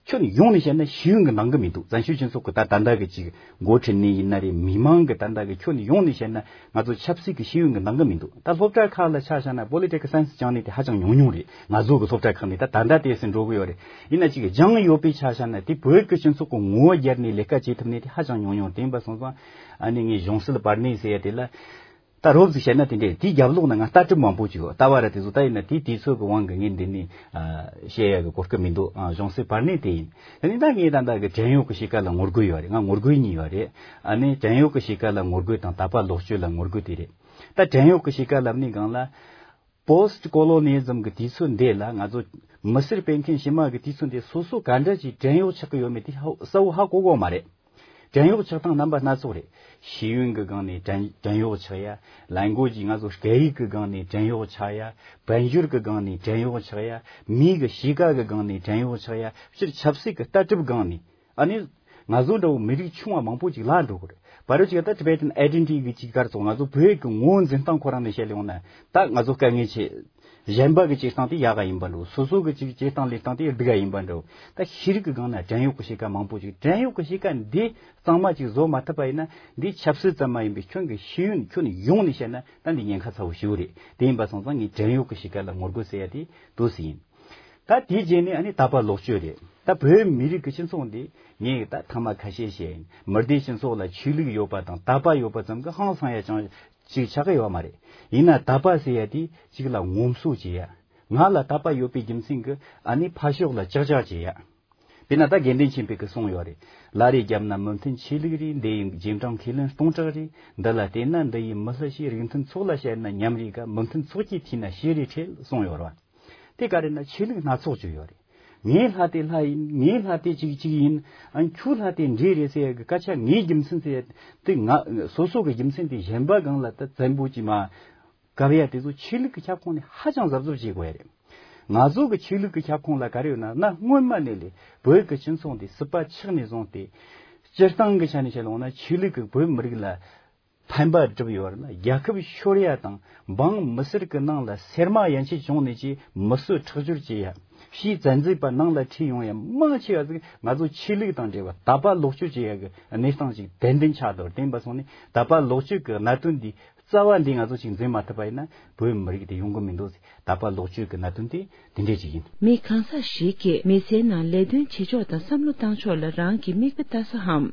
ཁྱོན་ཡོངས་ནས་བཤད་ན་ཤེས་ཡོན་གྱི་འདང་གི་མི་འདུག་བཙན་བྱོལ་སྤྱི་ཚོགས་ཀྱི་ད་ད་ལྟ་གི་ཅིག་འགོ་ཁྲིད་ནས་ཡིན་ན་རེད། མི་མང་གི་ད་ལྟ་གི་ཁྱོན་ཡོངས་ནས་བཤད་ན་ང་ཚོ་ཆབ་སྲིད་ཀྱི་ཤེས་ཡོན་གྱི་འདང་གི་མི་འདུག་ད་སློབ་གྲྭ་ཁག་ལ་ཆ་བཞག་ན་པོ་ལི་ཊི་ཀལ་སའེན་སི་སྦྱངས་ནས་དེ་ཧ་ཅང་ཉུང་ཉུང་རེད། ང་ཚོ་གི་སློབ་གྲྭ་ཁག་ནས་ད་ད་ལྟ་དེ་སྲིད་འགྲོ་གི་ཡོད་རེད། ཡིན་ན་ཅིག་སྦྱངས་ཡོད་པའི་ཆ་བཞག་ན་དེ་བོད་ཀྱི་སྤྱི་ཚོགས་ཀྱི་ངོ་བོ་བརྒྱབ་ནས་ལས་ཀ་བྱེད་ཐུབ་ནས་དེ་ཧ་ཅང་ཉུང་ཉུང་རེད། ཡིན་པ་སོང་ཙང་ཨ་ནི་ངས་གཞུང་སྲིད་པར་ནས་ཟེར་ཡ་དེ་ལ། ད་རོབ་ཙམ་བཤད་ན་དེ་འདྲས། དེའི་རྒྱབ་ལོགས་ན་ང་ལྟ་གྲུབ་མང་པོ་ཅིག་ཡོད། ལྟ་བ་ར་དེ་ཚོ་ད་ཡིན་ན་དེའི་དུས་ཚོད་ཀྱི་དབང་གིས་ངས་འདི་ནས་ཨ་བཤད་ཡ་གི་གོ་སྐབས་མི་འདུག་ཨ་གཞུང་སྲིད་པར་ནས་དེ་ཡིན། དེ་ནས་ད་ངས་ད་ལྟ་གི་བྲན་གཡོག་གི་གཤིས་ཀ་ལ་ངོ་རྒོལ་ཡོད་རེད། ང་ངོ་རྒོལ་གཉིས་ཡོད་རེད། ཨ་ནི་བྲན་གཡོག་གི་གཤིས་ཀ་ལ་ངོ་རྒོལ་དང་དད་པ་ལོག་སྤྱོད་ལ་ངོ་རྒོལ་དེ་རེད། ད་བྲན་གཡོག་གི་གཤིས་ཀ་ལབ་ནས་སྒང་ལ་པོ་སི་ཊི་ཀོ་ལོ་ནི་ཛམ་གི་དུས་ཚོད་འདི་ལ་ང་ཚོ་མི་སེར་སྤེལ་མཁན་ཕྱི་མ་གི་དུས་ཚོད་འདི་སོ་སོ་ག་འདྲ་ཅིག་བྲན་གཡོག་ཆགས་ཀྱི་ཡོད་མེད་དེ་ཧ་གསལ་བོ་ཧ་གོ་གོ་མ་རེད། བྲན་གཡོག་ཆགས་སྟངས་རྣམ་པ་སྣ་ཚོགས་རེད། ཤེས་ཡོན་གྱི་སྒང་ནས་བྲན་བྲན་གཡོག་ཆགས་ཡ། ལས་འགུལ་གྱི་ང་ཚོ་སྐད་ཡིག་གི་སྒང་ནས་བྲན་གཡོག་ཆགས་ཡ། དཔལ་འབྱོར་གྱི་སྒང་ནས་བྲན་གཡོག་ཆགས་ཡ། མིའི་གི་གཤིས་ཀ་གི་སྒང་ནས་བྲན་གཡོག་ཆགས་ཡ། སྤྱིར་ཆབ་སྲིད་ཀྱི་ལྟ་གྲུབ་སྒང་ནས། ཨ་ནི། ང་ཚོ་འདྲ་བོ་མི་རིགས་ཆུང་བ་མང་པོ་ཅིག་བརླག་འགྲོ་གི་རེད། བར་ཅིག་ད་Tibetan identity གི་ཅིག་ག་རེ་ཟེར། ང་ཚོ་བོད་ཀྱི་ངོ་བོ་འཛིན་སྟངས་ཁོ་རང་ནས་བཤད་ཡོང་ན་ད་ང་ཚོ་དཀའ་ངལ་ཆེ། གཞན་པ་གི་བྱེད་སྟངས་དེ་ཡག་ག་ཡིན་པ་འདྲ་བོ། སོ་སོ་གི་ཅིག་བྱེད་སྟངས་ལས་སྟངས་དེ་སྡུག་ག་ཡིན་པ་འདྲ་བོ། ད་ཤེས་རིག་གི་སྒང་ན་བྲན་གཡོག་གི་གཤིས་ཀ་མང་པོ་ཅིག་བྲན་གཡོག་གི་གཤིས་ཀ་འདི་གཙང་མ་ཅིག་བཟོ་མ་ཐུབ་པ་ཡིན་ན་འདི་ཆབ་སྲིད་ཙམ་མ་ཡིན་པའི་ཁྱོན་གྱི་ཤེས་ཡོན་ཁྱོན་ཡོངས་ནས་བཤད་ན་ད་འདི་ཉེན་ཁ་ཚ་བོ་ཞེ་བོ་རེད། དེ་ཡིན་པ་སོང་ཙང་ངས་བྲན་གཡོག་གི་གཤིས་ཀ་ལ་ངོ་རྒོལ་ཟེར་ཡ་དེ་འདུག་སེ་ཡིན། ད་དེའི་རྗེས་ནས་ཨ་ནི་དད་པ་ལོག་སྤྱོད་རེད། ད་བོད་མི་རིགས་ཀྱི་སྤྱི་ཚོགས་འདི་ངས་ད་ཐེངས་མ་ཁ་ཤས་བཤད་ཡིན། མི་སྡེའི་སྤྱི་ཚོགས་ལ་ཆོས་ལུགས་ཡོད་པ་དང་དད་པ་ཡོད་པ་ཙམ་གྱིས་ཧང་སང་ཡ་ཅང་ཅིག་ཆགས་ཀྱི་ཡོད་མ་རེད། ཡིན་ན་དད་པ་ཟེར་ཡ་དེ་གཅིག་ལ་ངོམ་སོ་བྱེད་ཡ། ང་ལ་དད་པ་ཡོད་པའི་རྒྱུ་མཚན་གྱིས་ཨ་ནི་ཕར་ཕྱོགས་ལ་ཅག་ཅག་བྱེད་ཡ། དཔེར་ན་ད་དགེ་འདུན་ཆོས་འཕེལ་གྱིས་གསུངས་ཡོད་རེད། བླ་རེ་བརྒྱབ་ན་མི་མཐུན་ཆོས་ལུགས་རེད། འདི་ཡི་རྗེས་འབྲང་ཁས་ལེན་སྟོང་ཕྲག་རེད། འདི་ལ་བལྟས་ན་འདི་ཡི་མི་ལྷ་ཞིག་རིགས་མཐུན་ཚོགས་ལ་བཤད་ན་ཉམས་རེད་ག་མི་མཐུན་ཚོགས་ཀྱི་མཐུན་ན་ཤེས་རེ་ཁྲེལ་གསུངས་ཡོད་རེད་བ། དེ་ག་རེ་ན་ཆོས་ལུགས་སྣ་ཚོགས་ཅིག་ཡོད་རེད། ངའི་ལྷ་དེ་ལྷ་ཡིན། ངའི་ལྷ་དེ་གཅིག་གཅིག་ཡིན། ཨ་ཁྱོའི་ལྷ་དེ་འདྲེ་རེད་ཟེར་ཡ་གི་སྐད་ཆ་ངའི་རྒྱུ་མཚན་ཟེར་ཡ་དེ་ང་སོ་སོ་གི་རྒྱུ་མཚན་དེ་གཞན་པ་སྒང་ལ་ད་བཙན་པོ་ཅིག་མ་གབ་ཡ་དེ་ཚོ་ཆོས་ལུགས་ཀྱི་ཁྱབ་ཁོངས་ནས་ཧ་ཅང་གཟབ་གཟབ་བྱེད་དགོས་ཡ་རེད། ང་ཚོ་གི་ཆོས་ལུགས་ཀྱི་ཁྱབ་ཁོངས་ལ་ག་རེ་ཡོད་ན་ན་སྔོན་མ་ནས་ལས་བོད་ཀྱི་སྤྱི་ཚོགས་འདི་སྲིད་པ་ཆགས་ནས་བཟུང་སྟེ་སྤྱིར་བཏང་གི་ཆ་ནས་བཤད་ཡོང་ན་ཆོས་ལུགས་ཀྱི་བོད་མི་རིགས་ལ་ཕན་པ་སྒྲུབ་ཡོད་པ་ན་རྒྱལ་ཁབ་ཤོར་ཡ་དང་འབངས་མི་སེར་གྱི་ནང་ལ་སེར་མ་ཡན་ཆད་བྱུང་ནས་ཀྱི་མི་གསོད་ཁྲག་སྦྱོར་བྱེད་ཡ། ཕྱིའི་བཙན་འཛུལ་པ་ནང་ལ་ཁྲིད་ཡོང་ཡ་མང་ཆེ་བ་ཟིག་ང་ཚོ་ཆོས་ལུགས་དང་འབྲེལ་བ་དད་པ་ལོག་སྤྱོད་བྱེད་ཡ་གི་གནས་སྟངས་ཅིག་ཏན་ཏན་ཆགས་འདུག་དེ་ཡིན་པ་སོང་ནས་དད་པ་ལོག་སྤྱོད་ཀྱི་གནད་དོན་འདི་རྩ་བ་འདི་ང་ཚོ་ཅིག་འཛིན་མ་ཐུབ་པ་ཡིན་ན་བོད་མི་རིགས་དེ་ཡོང་གི་མི་འདུག་ཟེར། དད་པ་ལོག་སྤྱོད་ཀྱི་གནད་དོན་དེ་དེ་འདྲས་ཅིག་ཡིན། མི་གང་ཟག་ཞིག་གིས་མི་ཚེའི་ནང་ལས་དོན་བྱེད་ཕྱོགས་དང་བསམ་བློ་བཏང་ཕྱོགས་ལ་རང་གི་མིག་དཔེ་ལྟ་ས་འམ།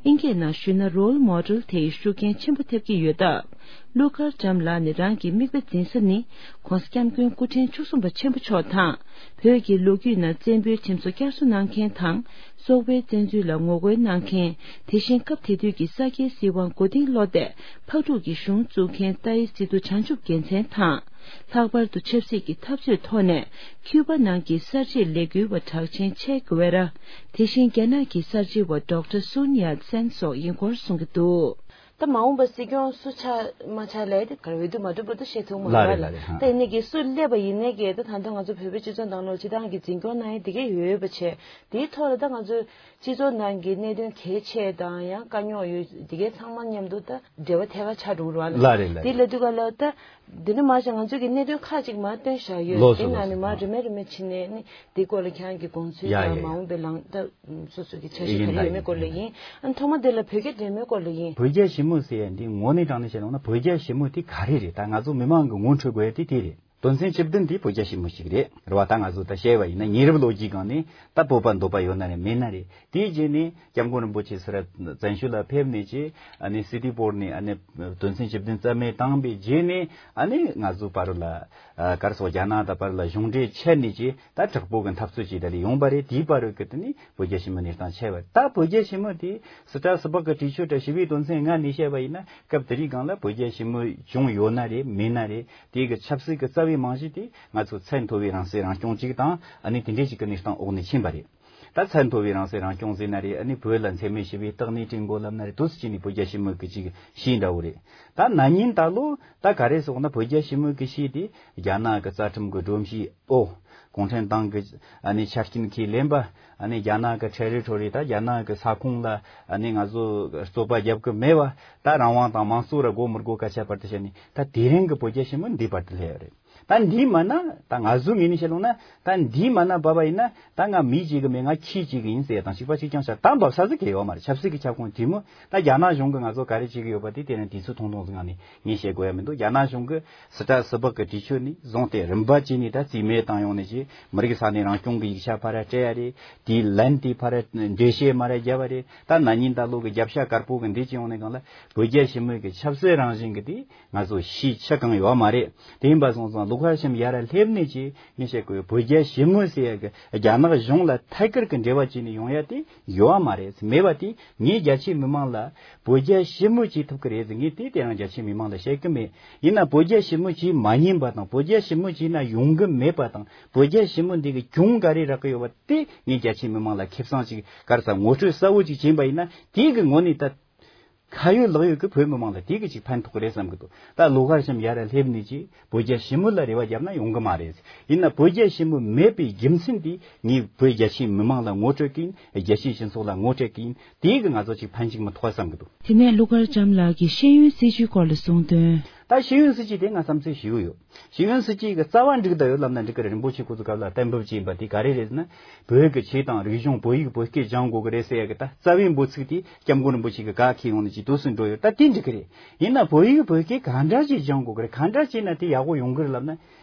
ཨིན་སྐད་ནང་ཞུས་ན་role model དེ་ཡི་ཤུགས་རྐྱེན་ཆེན་པོ་ཐེབས་ཀྱི་ཡོད་སྟབས། ཀླུ་མཁར་བྱམས་ལགས་ནས་རང་གི་མིག་དཔེ་འཛིན་ས་ནི་༸གོང་ས་༸སྐྱབས་མགོན་སྐུ་ཕྲེང་བཅུ་གསུམ་པ་ཆེན་པོ་མཆོག་དང་། བོད་ཀྱི་ལོ་རྒྱུས་ནང་བཙན་པོའི་ཁྲིམས་སྲོལ་བསྐྱར་གསོ་གནང་མཁན་དང་། སོག་པོའི་བཙན་འཛུལ་ལ་ངོ་རྒོལ་གནང་མཁན། དེ་བཞིན་སྐབས་དེ་དུས་ཀྱི་ས་སྐྱའི་སྲིད་དབང་མགོ་རྟིང་སློག་སྟེ་ཕག་ཕྲུག་གི་གཞུང་བཙུགས་མཁན་ཏཱའི་སི་ཏུ་བྱང་ཆུབ་རྒྱལ་མཚན་དང་། ལྷག་པར་དུ་ཆབ་སྲིད་ཀྱི་འཐབ་རྩོད་ཐོག་ནས་ཁྱུ་པ་ནང་གི་གསར་བརྗེའི་ལས་འགུལ་བ་གྲགས་ཆེན་ཆེ་གུ་ཝེ་ར། དེ་བཞིན་རྒྱ་ནག་གི་གསར་བརྗེ་བ་ཌོག་ཊར་སུན་ཡཱ་ཚན་སོགས་ཡིན་སྐོར་གསུང་གི་འདུག་ད་མ་འོངས་པ་སྲིད་སྐྱོང་སུ་ཆགས་མ་ཆགས་ལས་དེ་གར་འོས་བསྡུ་མ་གྲུབ་བར་དུ་བཤད་ཐུབ་མ་ལ་རེད་རེད། ལ་རེད་ཧ། ད་ཡིན་ནའི་གི་སུ་སླེབས་པ་ཡིན་ནའི་གི་ད་ད་ལྟ་ང་ཚོ་བོད་པའི་སྤྱི་ཚོགས་ནང་ལོགས་སྤྱི་བཏང་གི་འཛིན་སྐྱོང་གནང་ཡས་དེ་གས་ཡོད་པ་བྱས། དེའི་ཐོག་ལ་ད་ང་ཚོ་སྤྱི་ཚོགས་ནང་གི་གནད་དོན་གལ་ཆེ་དང་ཡང་དཀའ་རྙོག་ཡོད་དེ་གས་ཚང་མ་མཉམ་དུ་ད་འབྲེལ་བ་ཐད་ཀར་ཆགས་འགྲོ་གི་རེད་བ། ལ་རེད་ལ་དེ་རེད། ལབ་དུས་ག་ལ་ད་འདི་ནི་མ་གཞི་ང་ཚོ་གི་གནད་དོན་ཁག་ཅིག་མར་བཏོན་བཞག་ཡོད། ལགས་སོ་དེ་ནང་ནས་ལགས་སོ། མར་རིམ་པས་རིམ་པས་ཕྱིན་ནས་ནི་དེ་སྐོར་ལ་ཁྱེད་རང་གི་དགོངས་ཚུལ་ཡ་དང་ཡ་མ་ཡ། འོངས་པའི་ལངས་ད་སོ་སོ་གི་འཆར་གཞི་ཡིན་ག་རེ་ཡོད་མེད་སྐོར་ལ་ཡིན། ཨ་ཐོག་མ་དེ་ལ་བོད་རྒྱ་འབྲེལ་མོལ་སྐོར་ལ་ཡིན། བོད་རྒྱ་ཞི་མོལ་ཟེར་ཡ་འདི་དངོས་གནས་དྲང་གནས་བཤད་ཡོང་ན་བོད་རྒྱ་ཞི་མོལ་དེ་ག་རེ་རེད། ད་ང་ཚོ་མི་མང་གི་ངོ་འཕྲོད་དགོས་ཡ་དེ་དེ་རེད། དོན་ཚན་བཅུ་བདུན་དེ་བོད་རྒྱ་ཞི་མོལ་ཞིག་རེད། རེད་བ། ད་ང་ཚོ་ད་བཤད་པ་ཡིན་ན་ཉེ་རབས་ལོ་རྒྱུས་སྒང་ནས་ད་སྤོབས་པ་འདོད་པ་ཡོད་ན་རེད་མེད་ན་རེད། དེའི་རྗེས་ནས་སྐྱབས་མགོན་རིན་པོ་ཆེ་སི་ར་བཙན་བྱོལ་ལ་ཕེབས་ནས་ཀྱི་ཨ་ནི་སི་ཏི་པོར་ནས་ཨ་ནི་དོན་ཚན་བཅུ་བདུན་རྩ་མེད་བཏང་པའི་རྗེས་ནས་ཨ་ནི་ང་ཚོ་བར་ལ་ཨ་གར་སོགས་རྒྱ་ནག་དང་བར་ལ་གཞུང་འབྲེལ་ཆད་ནས་ཀྱི་ད་དྲག་པོ་གི་འཐབ་རྩོད་ཅིག་ད་ལས་ཡོང་པ་རེད། དེའི་བར་རུ་གི་དེ་ནི་བོད་རྒྱ་ཞི་མོལ་གནས་སྟངས་ཆད་པ་རེད། ད་བོད་རྒྱ་ཞི་མོལ་དེ་སི་ཏྲ་སི་པག་གི་དྲི་ཆོས་དྲ་ཞི་བའི་དོན་ཚན་ལྔ་ནས་བཤད་པ་ཡིན་ན་སྐབས་དེ་རིང་སྒང་ལ་བོད་རྒྱ་ཞི་མོལ་བྱུང་ཡོད་ན་རེད་མེད་ན་རེད། དེ་གི་ཆབ་སྲིད་ཀྱི་རྩ་བའི་རྨང་གཞི་དེ་ང་ཚོ་ཚད་མཐོ་བའི་རང་སྲིད་རང་སྐྱོང་ཅིག་དང་ཨ་ནི་དེ་འདྲས་ཅིག་གི་གནས་སྟངས་འོག་ནས་ཕྱིན་པ་རེད། ད་ཚད་མཐོ་བའི་རང་སྲིད་རང་སྐྱོང་ཟེར་ན་རེད། ཨ་ནི་བོད་ལ་འཚེ་མེད་ཞི་བའི་རྟག་གནས་བསྐྲུན་དགོས་ལབ་ན་རེད། དུས་སུ་ཅི་ནས་བོད་རྒྱ་ཞི་མོལ་གྱི་ཅིག་གཞས་འདྲ་བོ་རེད། ད་ན་ནིང་ད་ལོ་ད་ག་རེ་སོང་ན་བོད་རྒྱ་ཞི་མོལ་གྱི་གཞས་དེ་རྒྱ་ནག་གི་རྩ་ཁྲིམས་ཀྱི་སྒྲོམ་གཞི། ཨོ། གུང་ཁྲན་ཏང་གི་ཨ་ནི་ཆ་རྐྱེན་ཁས་ལེན་པ། ཨ་ནི་རྒྱ་ནག་གི་ཁྲལ་རེ་ཁྲོ་རེ། ད་རྒྱ་ནག་གི་ས་ཁོངས་ལ་ཨ་ནི་ང་ཚོ་རྩོད་པ་རྒྱབ་གི་མེད་པ། ད་རང་དབང་དང་དམངས་གཙོ་ར་དགོས་མི་དགོས་སྐད་ཆ་བར་དུ་བཤད་ནས། ད་དེ་རིང་གི་བོད་རྒྱ་ཞི་མོལ་འདི་བར་དུ་སླེབས་ཡོད་རེད། ད་འདི་མ་ན་ད་ང་ཚོ་ངོས་ནས་བཤད་ལོང་ན། ད་འདི་མ་ན་བབས་པ་ཡིན་ན། ད་ང་མི་གཅིག་གི་མིན། ང་ཁྱི་གཅིག་གི་ཡིན་ཟེར་དང་གཅིག་པ་གཅིག་རྐྱང་ཆགས། ད་འབབ་ས་ཟིག་གི་ཡོད་མ་རེད། ཆབ་སྲིད་ཀྱི་ཁྱབ་ཁོངས་དེ་མོ། ད་རྒྱ་ནག་གཞུང་གི་ང་ཚོ་ག་རེ་བྱེད་གི་ཡོད་པ་དེ་དེ་རིང་དུས་ཚོད་ཐུང་ཐུང་ཟིག་ངང་ནས་ངས་བཤད་དགོས་ཡ་མི་འདུག་རྒྱ་ནག་གཞུང་གི་སྲིད་ཁྲ་སྲིད་འབག་གི་གྲོས་ཆོད་ནས་བཟུང་སྟེ་རིམ་པ་བྱས་ནས་ད་རྩིས་མེད་བཏང་ཡོང་ནས་ཅིག་མི་རིགས་ས་གནས་རང་སྐྱོང་གི་ཡིག་ཆ་ཕར་ར་སྤྲད་ཡ་རེད། དེའི་ལན་དེ་ཕར་ར་འགྲེལ་བཤད་མར་ར་བརྒྱབ་པ་རེད། ད་ན་ནིང་ད་ལོ་གི་རྒྱབ་ཤ་དཀར་པོ་གི་འདི་བྱས་ཡོང་ནས་སྒང་ལ་བོད་རྒྱ་ཞི་མོལ་གྱི་ཆབ་སྲིད་རང་བཞིན་གྱི་དེ་ང་ཚོ་ཤེས་ཆེ་གང་ཡོད་མ་རེད། དེ་ཡིན་པ་སོང་ཙང་ལོ་ཁ་ཤམ་ཡར་ར་སླེབས་ནས་ཀྱི་ངས་བཤད་དགོས། བོད་རྒྱ་ཞི་མོལ་ཟེར་ཡ་གི་རྒྱ་ནག་གཞུང་ལ་ཐད་ཀར་གྱི་འབྲེལ་བ་བྱས་ནས་ཡོང་ཡ་དེ་ཡོད་མ་རེད། མེད་པ་དེ་ངས་རྒྱ་ཆེའི་མི་མང་ལ་བོད་རྒྱ་ཞི་མོལ་བྱེད་ཐུབ་ཀྱི་རེད་ཟེར། ངས་དེ་དེ་རང་རྒྱ་ཆེའི་མི་མང་ལ་བཤད་ཀྱི་མེད། ཡིན་ན་བོད་རྒྱ་ཞི་མོལ་བྱེད་མ་ཉན་པ་དང་། བོད་རྒྱ་ཞི་མོལ་བྱས་ན་ཡོང་གི་མེད་པ་དང་། བོད་རྒྱ་ཞི་མོལ་འདི་གི་གྱོང་ག་རེ་རག་གི་ཡོད་པ་དེ་ངས་རྒྱ་ཆེའི་མི་མང་ལ་ཁེ་བཟང་ཅིག་ག་རེ་ཟེར་ངོ་སྤྲོད་གསལ་བོ་ཅིག་བྱས་པ་ཡིན་ན། དེ་གི་ངོ་ནས་ད་ཁ་ཡོད་ལག་ཡོད་ཀྱི་བོད་མི་མང་ལ་དེ་གི་ཅིག་ཕན་ཐོགས་ཀྱི་རེད་བསམ་གི་འདུག་ད་ལོ་ཁར་ཤམ་ཡར་ར་སླེབས་ནས་ཀྱི་བོད་རྒྱ་ཞི་མོལ་ལ་རེ་བ་བརྒྱབ་ན་ཡོང་གི་མ་རེད། ཡིན་ན་བོད་རྒྱ་ཞི་མོལ་མེད་པའི་རྒྱུ་མཚན་དེ་ངས་བོད་རྒྱ་ཆེའི་མི་མང་ལ་ངོ་སྤྲོད་ཀྱིན། རྒྱལ་སྤྱིའི་སྤྱི་ཚོགས་ལ་ངོ་སྤྲོད་ཀྱིན། དེ་གི་ང་ཚོ་ཅིག་ཕན་ཅིག་མི་ཐོགས་བསམ་གི་འདུག་དེ་ནས་ཀླུ་མཁར་བྱམས་ལགས་ཀྱིས་ཤེས་ཡོན་སྲིད་བྱུས་སྐོར་ལ་གསུངས་དོན། ད་ཤེས་ཡོན་སྲིད་བྱུས་དེ་ང་བསམ་ཚུལ་ཞིག་ཡོད། ཤེས་ཡོན་སྲིད་བྱུས་ཀྱི་རྩ་བ་འགྲིག་བསྡད་ཡོད་ལབ་ན་འགྲིག་གི་རེད། རིན་པོ་ཆེ་ཁོ་ཚོ་སྐབས་ལ་གཏན་འབེབས་བྱས་པ་དེ་ག་རེ་རེད་ཟེར་ན། བོད་ཀྱི་ཆོས་དང་རིག་གཞུང་། བོད་ཡིག་བོད་སྐད་སྦྱང་དགོས་ཀྱི་རེད་ཟེར་ཡ་གི་ད་རྩ་བའི་འབོད་ཚིག་དེ་སྐྱབས་མགོན་རིན་པོ་ཆེ་གི་བཀའ་ཁྱེར་ཡོང་ནས་ཅིག་དུས་སུ་འགྲོ་ཡོད། ད་དེ་འགྲིག་གི་རེད། ཡིན་ན་བོད་ཡིག་བོད་སྐད་གང་འདྲ་ཅིག་སྦྱང་དགོས་ཀྱི་རེད། གང་འདྲ་བྱས་ན་དེ་ཡག་པོ་ཡོང་གི་རེད་ལབ་ན།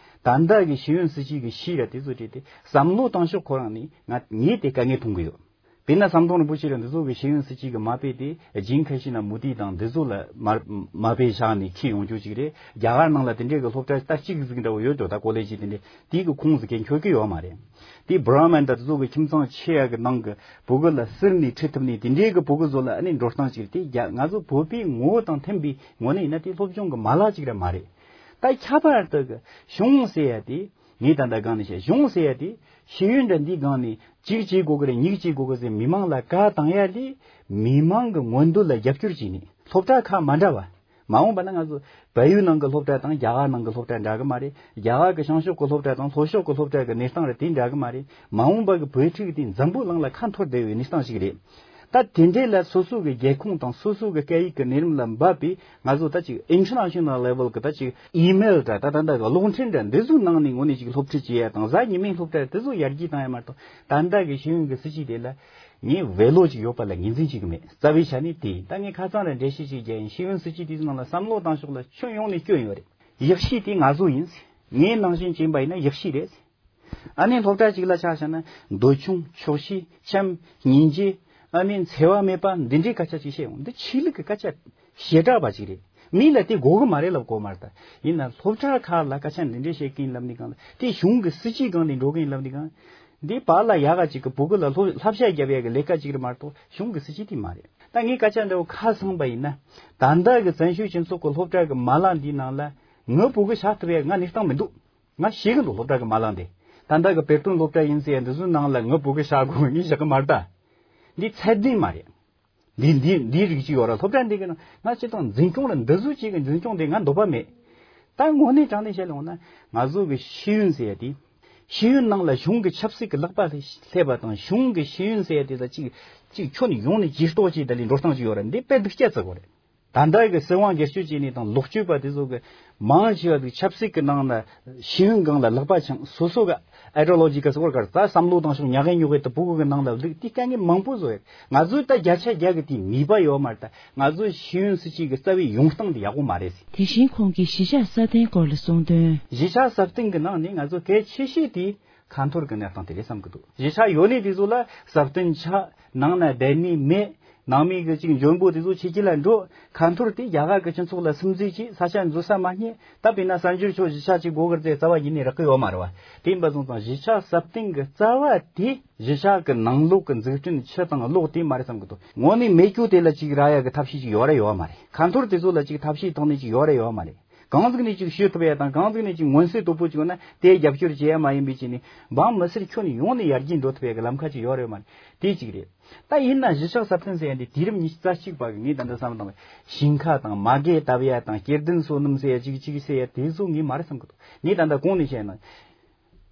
ད་ལྟ་གི་ཤེས་ཡོན་སྲིད་བྱུས་ཀྱི་ཤེས་ར་དེ་ཚོ་བྲིས་ཏེ་བསམ་བློ་བཏང་ཕྱོགས་ཁོ་རང་ནས་ང་ངས་དེ་དཀའ་ངལ་མཐོང་གི་ཡོད། དཔེར་ན་ཟམ་གདོང་རིན་པོ་ཆེ་ར་འདི་ཚོ་གི་ཤེས་ཡོན་སྲིད་བྱུས་ཀྱི་མ་དཔེ་དེ་ཇིན་ཁ་ཤི་ན་མུ་ཏི་དང་འདི་ཚོ་ལ་མ་མ་དཔེ་བཞག་ནས་ཁྱེར་ཡོང་རྒྱུ་ཅིག་རེད། རྒྱ་གར་ནང་ལ་དེ་འདྲའི་གི་སློབ་གྲྭ་ད་གཅིག་ཟིག་འདྲ་བོ་ཡོད་འགྲོ། ད་ཀོ་ལེ་ཇི་དེ་འདྲའི་དེའི་གི་ཁོངས་སུ་གན་འཁྱོལ་གི་ཡོད་མ་རེད། དེ་བྷ་ར་མན་ད་དེ་ཚོ་གི་ཁྱིམ་ཚང་ཆེ་ཡ་གི་ནང་གི་བུ་གུ་ལ་ཟུར་ནས་ཁྲིད་ཐུབ་ནས་དེ་འདྲའི་གི་བུ་གུ་ཚོ་ལ་ཨ་ནི་འགྲོ་སྟངས་ཅིག་རེད། དེ་རྒྱ་ང་ཚོ་བོད་པའི་ངོ་བོ་དང་མཐུན་པའི་ངོ་ནས་ཡིན་ན་དེ་སློབ་སྦྱོང་གི་མ་ལག་ཅིག་ར་མ་རེད། ད་ཁྱད་པར་དུ་གི་གཞུང་ཟེར་ཡ་དེ། ངས་ད་ལྟ་སྒང་ནས་བཤད། གཞུང་ཟེར་ཡ་དེ་ཤེས་ཡོན་འདྲ་འདིའི་སྒང་ནས་གཅིག་བྱེད་དགོས་ཀྱི་རེད། གཉིས་བྱེད་དགོས་ཀྱི་ཟེར་མི་མང་ལ་བཀའ་བཏང་ཡ་ལས། མི་མང་གི་མངོན་འདོད་ལ་རྒྱབ་སྐྱོར་བྱས་ནས་སློབ་གྲྭ་ཁག་མ་འདྲ་བ། མ་འོངས་པ་ན་ང་ཚོ་བལ་ཡུལ་ནང་གི་སློབ་གྲྭ་དང་རྒྱ་གར་ནང་གི་སློབ་གྲྭ་འདྲ་གི་མ་རེད། རྒྱ་གར་གི་བྱང་ཕྱོགས་གི་སློབ་གྲྭ་དང་ལྷོ་ཕྱོགས་གི་སློབ་གྲྭ་གི་གནས་སྟངས་རེད། དེ་འདྲ་གི་མ་རེད། མ་འོངས་པ་གི་བོད་ཕྲུག་དེ་འཛམ་བུ་གླིང་ལ་ཁ་འཐོར་བསྡད་པའི་གནས་སྟངས་ཤིག་རེད། ད་དེ་འདྲས་ལ་སོ་སོ་གི་རྒྱལ་ཁོངས་དང་སོ་སོ་གི་སྐད་ཡིག་གི་གནས་རིམ་ལ་འབབ་པའི་ང་ཚོ་ད་ཅིག་international level གི་ད་ཅིག་email འདྲ། ད་ད་ལྟ་གི་གློག་འཕྲིན་འདྲ་འདི་ཚོའི་ནང་ནས་ངོ་ནས་ཅིག་སློབ་ཁྲིད་བྱེད་ཡ་དང་གཟའ་ཉི་མའི་སློབ་གྲྭ་དེ་ཚོ་ཡར་རྒྱས་བཏང་ཡ་མ་གཏོགས། ད་ལྟ་གི་ཤེས་ཡོན་གི་སྲིད་བྱུས་དེ་ལ་ངས་བེ་ལོ་ཅིག་ཡོད་པ་ལ་ངོས་འཛིན་བྱེད་གི་མེད། རྩ་བའི་ཆ་ནས་དེ་ཡིན། ད་ངས་ཁ་སང་ར་འགྲེལ་བཤད་ཅིག་རྒྱག་ཡིན། ཤེས་ཡོན་སྲིད་བྱུས་དེ་ཚོའི་ནང་ལ་བསམ་བློ་བཏང་ཕྱོགས་ལ་ཁྱོན་ཡོངས་ནས་སྐྱོན་ཡོད་རེད། ཡག་ཤོས་དེ་ང་ཚོ་ཡིན། ངའི་ནང་བཞིན་བྱས་པ་ཡིན་ན་ཡག་ཤོས་རེད། ཨ་ནི་སློབ་གྲྭ་གཅིག་ལ་ཆ་བཞག་ན་འདོད་ཆུང་། ཆོག་ཤེས། འཆམ། སྙིང་རྗེ། ཨ་ནི་འཚེ་བ་མེད་པ་འདི་འདྲའི་སྐད་ཆ་ཅིག་བཤད་ཡོང་། འདི་ཆོས་ལུགས་ཀྱི་སྐད་ཆ་ཞེ་དྲག་པ་ཅིག་རེད། མི་ལ་དེ་དགོས་གི་མ་རེད་ལབ་དགོས་མ་རེད། ད་ཡིན་ན་སློབ་གྲྭ་ཁག་ལ་སྐད་ཆ་འདི་འདྲའི་བཤད་གིན་ལབ་ནི་གང་ལ། དེ་གཞུང་གི་སྲིད་ཇུས་སྒང་ནས་འགྲོ་གིན་ལབ་ནི་གང་། འདི་བར་ལ་ཡག་ག་ཅིག་གི་བུ་གུ་ལ་སློབ་བསླབ་བྱ་རྒྱབ་ཡག་གི་ལས་ཀ་ཅིག་རེད་མ་གཏོགས་གཞུང་གི་སྲིད་ཇུས་དེ་མ་རེད། ད་ངས་སྐད་ཆ་འདྲ་བོ་ཁ་སང་པ་ཡིན་ན། ད་ལྟ་གི་བཙན་བྱོལ་སྤྱི་ཚོགས་ཀྱི་སློབ་གྲྭ་གི་མ་ལག་འདིའི་ནང་ལ་ངའི་བུ་གུ་བཞག་ཐུབ་ཡག་ང་གནས་སྟངས་མི་འདུག་ང་ཤེས་གི་འདུག་སློབ་གྲྭ་གི་མ་ལག་འདི། ད་ལྟ་གི་བེ་ཏོན་སློབ་གྲྭ་ཡིན་ཟེར་ཡ་འདི་ཚོའི་ནང་ལ་ངའི་བུ་གུ་བཞག་དགོས་ངས་བཞག་གི་མ་རེད་ད། འདི་ཚད་ལྡན་མ་རེད། འདི་འདི་འདིའི་རིགས་ཅིག་ཡོད་ར། སློབ་གྲྭ་འདི་གི་ནང་ང་སྤྱིར་བཏང་འཛིན་སྐྱོང་ར་འདི་ཚོ་ཅིག་གི་འཛིན་སྐྱོང་དེ་ང་འདོད་པ་མེད། ད་དངོས་གནས་དྲང་གནས་བཤད་ཡོང་ན་ང་ཚོ་གི་ཤེས་ཡོན་ཟེར་ཡ་དེ། ཤེས་ཡོན་ནང་ལ་གཞུང་གི་ཆབ་སྲིད་ཀྱི་ལག་པ་སླེབས་པ་དང་། གཞུང་གི་ཤེས་ཡོན་ཟེར་ཡ་དེ་ད་ཅིག་ཅིག་ཁྱོན་ནས་ཡོང་ནས་ཇུས་གཏོགས་ཅིག་ད་ལས་འགྲོ་སྟངས་ཅིག་ཡོད་ར། འདི་དཔེ་སྡུག་ཅག་ཙིག་གོ་རེད། ད་ལྟ་གི་སྲིད་དབང་སྒེར་གཅོད་བྱས་ནས་དང་ལོག་སྤྱོད་པ་དེ་ཚོ་གི་མང་ཆེ་བ་དེ་ཆབ་སྲིད་ཀྱི་ནང་ན་ཤེས་ཡོན་སྒང་ལ་ལག་པ་འཆང་། སོ་སོ་གི་ཨའི་ཌི་ཡོ་ལོ་ཇི་ག་སོགས་གར་ད་བསམ་བློ་བཏང་ཕྱོགས་ཉག་གེ་ཉོག་གེ་དུ་ཕྲུ་གུ་གི་ནང་ལ་བླུགས། དེ་དཀའ་ངལ་མང་པོ་བཟོ་ཡོད། ང་ཚོས་ད་བརྒྱ་ཆ་བརྒྱ་གི་དེ་ནུས་པ་ཡོད་མ་རེད། ད་ང་ཚོས་ཤེས་ཡོན་སྲིད་ཇུས་ཀྱི་རྩ་བའི་ཡོང་སྟངས་དེ་ཡག་པོ་མ་རེད་ཟེར། དེ་བཞིན་ཁོང་གིས་གཞིས་ཆགས་སྲ་བརྟན་སྐོར་ལ་གསུངས་དོན། གཞིས་ཆགས་སྲ་བརྟན་གྱི་ནང་ནས་ང་ཚོ་གལ་ཆེ་ཤོས་དེ་ཁ་འཐོར་གྱི་གནས་སྟངས་དེ་རེད་བསམ་གྱི་འདུག་གཞིས་ཆགས་ཡོད་ནི་དེ་ཚོ་ལ་སྲ་བརྟན་ཆགས། ནང་ན་བསྡད་ནི་མེད། ནང་མི་གི་ཅིག་འཇོན་པོ་དེ་ཚོ་ཕྱི་རྒྱལ་ལ་འགྲོ། ཁ་འཐོར་དེ་རྒྱ་གར་གྱི་སྤྱི་ཚོགས་ལ་སིམ་འཛུལ་བྱས། ས་ཆ་འཛུལ་ས་མ་རྙེད། ད་དཔེར་ན་གསར་འབྱོར་ཆོག་གཞིས་ཆགས་ཅིག་དགོས་གི་རེད་ཟེར་རྩ་བ་ཉིད་ནས་རག་གི་ཡོད་མ་རེད་བ། དེ་ཡིན་པ་སོང་ཙང་གཞིས་ཆགས་སྲ་བརྟན་གྱི་རྩ་བ་དེ་གཞིས་ཆགས་ཀྱི་ནང་ལོགས་ཀྱི་འཛུགས་སྐྲུན་ཕྱི་དང་ལོགས་དེ་མ་རེད་བསམ་གྱི་འདུག་དངོས་གནས་མེད་རྒྱུ་དེ་ལ་ཅིག་རག་ཡ་གི་ཐབས་ཤེས་ཅིག་ཡོད་ར་ཡོད་མ་རེད། ཁ་འཐོར་དེ་ཚོ་ལ་ཅིག་ཐབས་ཤེས་ཐོག་ནས་ཅིག་ཡོད་ར་ཡོད་མ་རེད། གང་ཟིག་ནས་ཅིག་ཞུ་ཐུབ་ཡ་དང་གང་ཟིག་ནས་ཅིག་མངོན་གསལ་དོད་པོ་ཅིག་ཡོད་ན་དེ་རྒྱབ་སྐྱོར་བྱེད་ཡ་མ་ཡིན་པའི་ཆ་ནས་འབངས་མི་སེར་ཁྱོན་ནས་ཡོངས་ནས་ཡར་རྒྱས་འགྲོ་ཐུབ་ཡ་གི་ལམ་ཁ་ཅིག་ཡོད་རེད་མ་རེད། དེ་གཅིག་རེད། ད་ཡིན་ན་གཞིས་ཆགས་གསར་སྐྲུན་ཟེར་ཡ་འདི་དུས་རབས་ཉི་ཤུ་རྩ་གཅིག་པ་གི་ངས་ད་ལྟ་བསམ་བློ་བཏང་བས་ཞིང་ཁ་དང་མ་གི་བཏབ་ཡ་དང་སྐྱེ་ལྡན་སོ་ནམ་ཟེར་ཡ་ཅིག་ཅིག་ཟེར་ཡ་དེ་ཚོ་ངས་མ་རེད་བསམ་གི་འདུག་ངས་ད་ལྟ་གོང་ནས་བཤད་ན།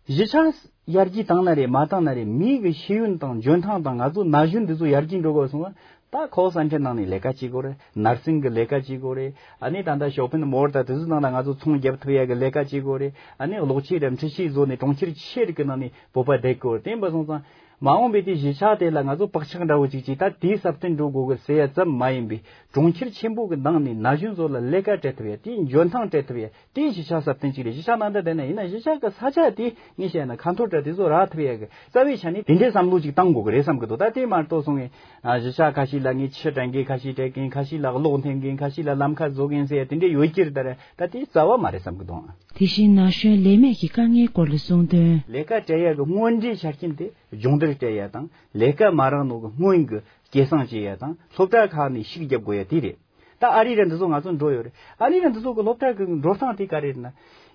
གཞིས་ཆགས་ཡར་རྒྱས་བཏང་ན་རེད་མ་བཏང་ན་རེད། མི་གི་ཤེས་ཡོན་དང་འཇོན་ཐང་དང་ང་ཚོ་ན་གཞོན་འདི་ཚོ་ཡར་རྒྱས་འགྲོ་དགོས་སོང་ན་ད་ཁོ་སན་ཁྲེ་ནང་ནས་ལས་ཀ་བྱེད་དགོས་རེད། ནར་སིང་གི་ལས་ཀ་བྱེད་དགོས་རེད། ཨ་ནི་ད་ལྟ་ཤོ་པིན་མོལ་དང་དེ་ཚོའི་ནང་ལ་ང་ཚོ་ཚོང་རྒྱབ་ཐུབ་ཡ་གི་ལས་ཀ་བྱེད་དགོས་རེད། ཨ་ནི་གློག་ཆས་ར་འཕྲུལ་ཆས་བཟོ་ནས་གྲོང་ཁྱེར་ཆེ་རིགས་ཀྱི་ནང་ནས་བོད་པ་བསྡད་དགོས་རེད། དེ་ཡིན་པ་སོང་ཙང་མ་འོངས་པའི་དེ་གཞིས་ཆགས་དེ་ལ་ང་ཚོ་བག་ཆགས་འདྲ་བོ་ཅིག་ཅིག་ད་དེའི་ས་བརྟན་འགྲོ་དགོས་གི་ཟེར་ཡ་ཙམ་མ་ཡིན་པའི་གྲོང་ཁྱེར་ཆེན་པོ་གི་ནང་ནས་ན་གཞོན་ཚོ་ལ་ལས་ཀ་སྤྲད་ཐུབ་ཡ་དེའི་འཇོན་ཐང་སྤྲད་ཐུབ་ཡ། དེ་གཞིས་ཆགས་སྲ་བརྟན་གཅིག་རེད། གཞིས་ཆགས་ནང་དུ་བསྡད་ན་ཡིན་ན་གཞིས་ཆགས་ཀྱི་ས་ཆ་དེ་ངས་བཤད་ན་ཁ་འཐོར་འདྲ་དེ་ཚོ་རག་ཐུབ་ཡ་གི་རྩ་བའི་ཆ་ནས་དེ་འདྲའི་བསམ་བློ་ཅིག་བཏང་དགོས་གི་རེད་བསམ་གི་འདུག་ད་དེ་མ་གཏོགས་སོང་ངས་ཨ་གཞིས་ཆགས་ཁ་ཤས་ལ་ངས་ཆུ་དྲན་མཁན་ཁ་ཤས་སྤྲད་མཁན། ཁ་ཤས་ལ་གློག་འཐེན་མཁན། ཁ་ཤས་ལ་ལམ་ཁ་བཟོ་མཁན་ཟེར་ཡ་དེ་འདྲའི་ཡོད་ཀྱི་རེད། ད་རེད་ད་དེ་རྩ་བ་མ་རེད་བསམ་གི་འདུག་དེ་བཞིན་ན་གཞོན་ལས་མེད་ཀྱི་དཀའ་ངལ་སྐོར་ལ་གསུངས་དོན། ལས་ཀ་སྤྲད་ཡ་གི་དངོས་འབྲེལ་ཆ་རྐྱེན་དེ་སྦྱོང་བརྡར་སྤྲད་ཡ་དང་ལས་ཀ་མ་རག་ནོ་གི་སྔོན་གི་སྐྱེད་སྲིང་བྱེད་ཡ་དང་སློབ་གྲྭ་ཁག་ནས་ཤུགས་རྒྱབ་དགོས་ཡ་དེ་རེད། ད་ཨ་རི་ར་འདི་ཚོ་ང་ཚོ་འགྲོ་ཡོད་རེད། ཨ་རི་ར་འདི་ཚོ་གི་སློབ་གྲྭ་གི་འགྲོ་སྟངས་དེ་ག་རེ་རེད་ན།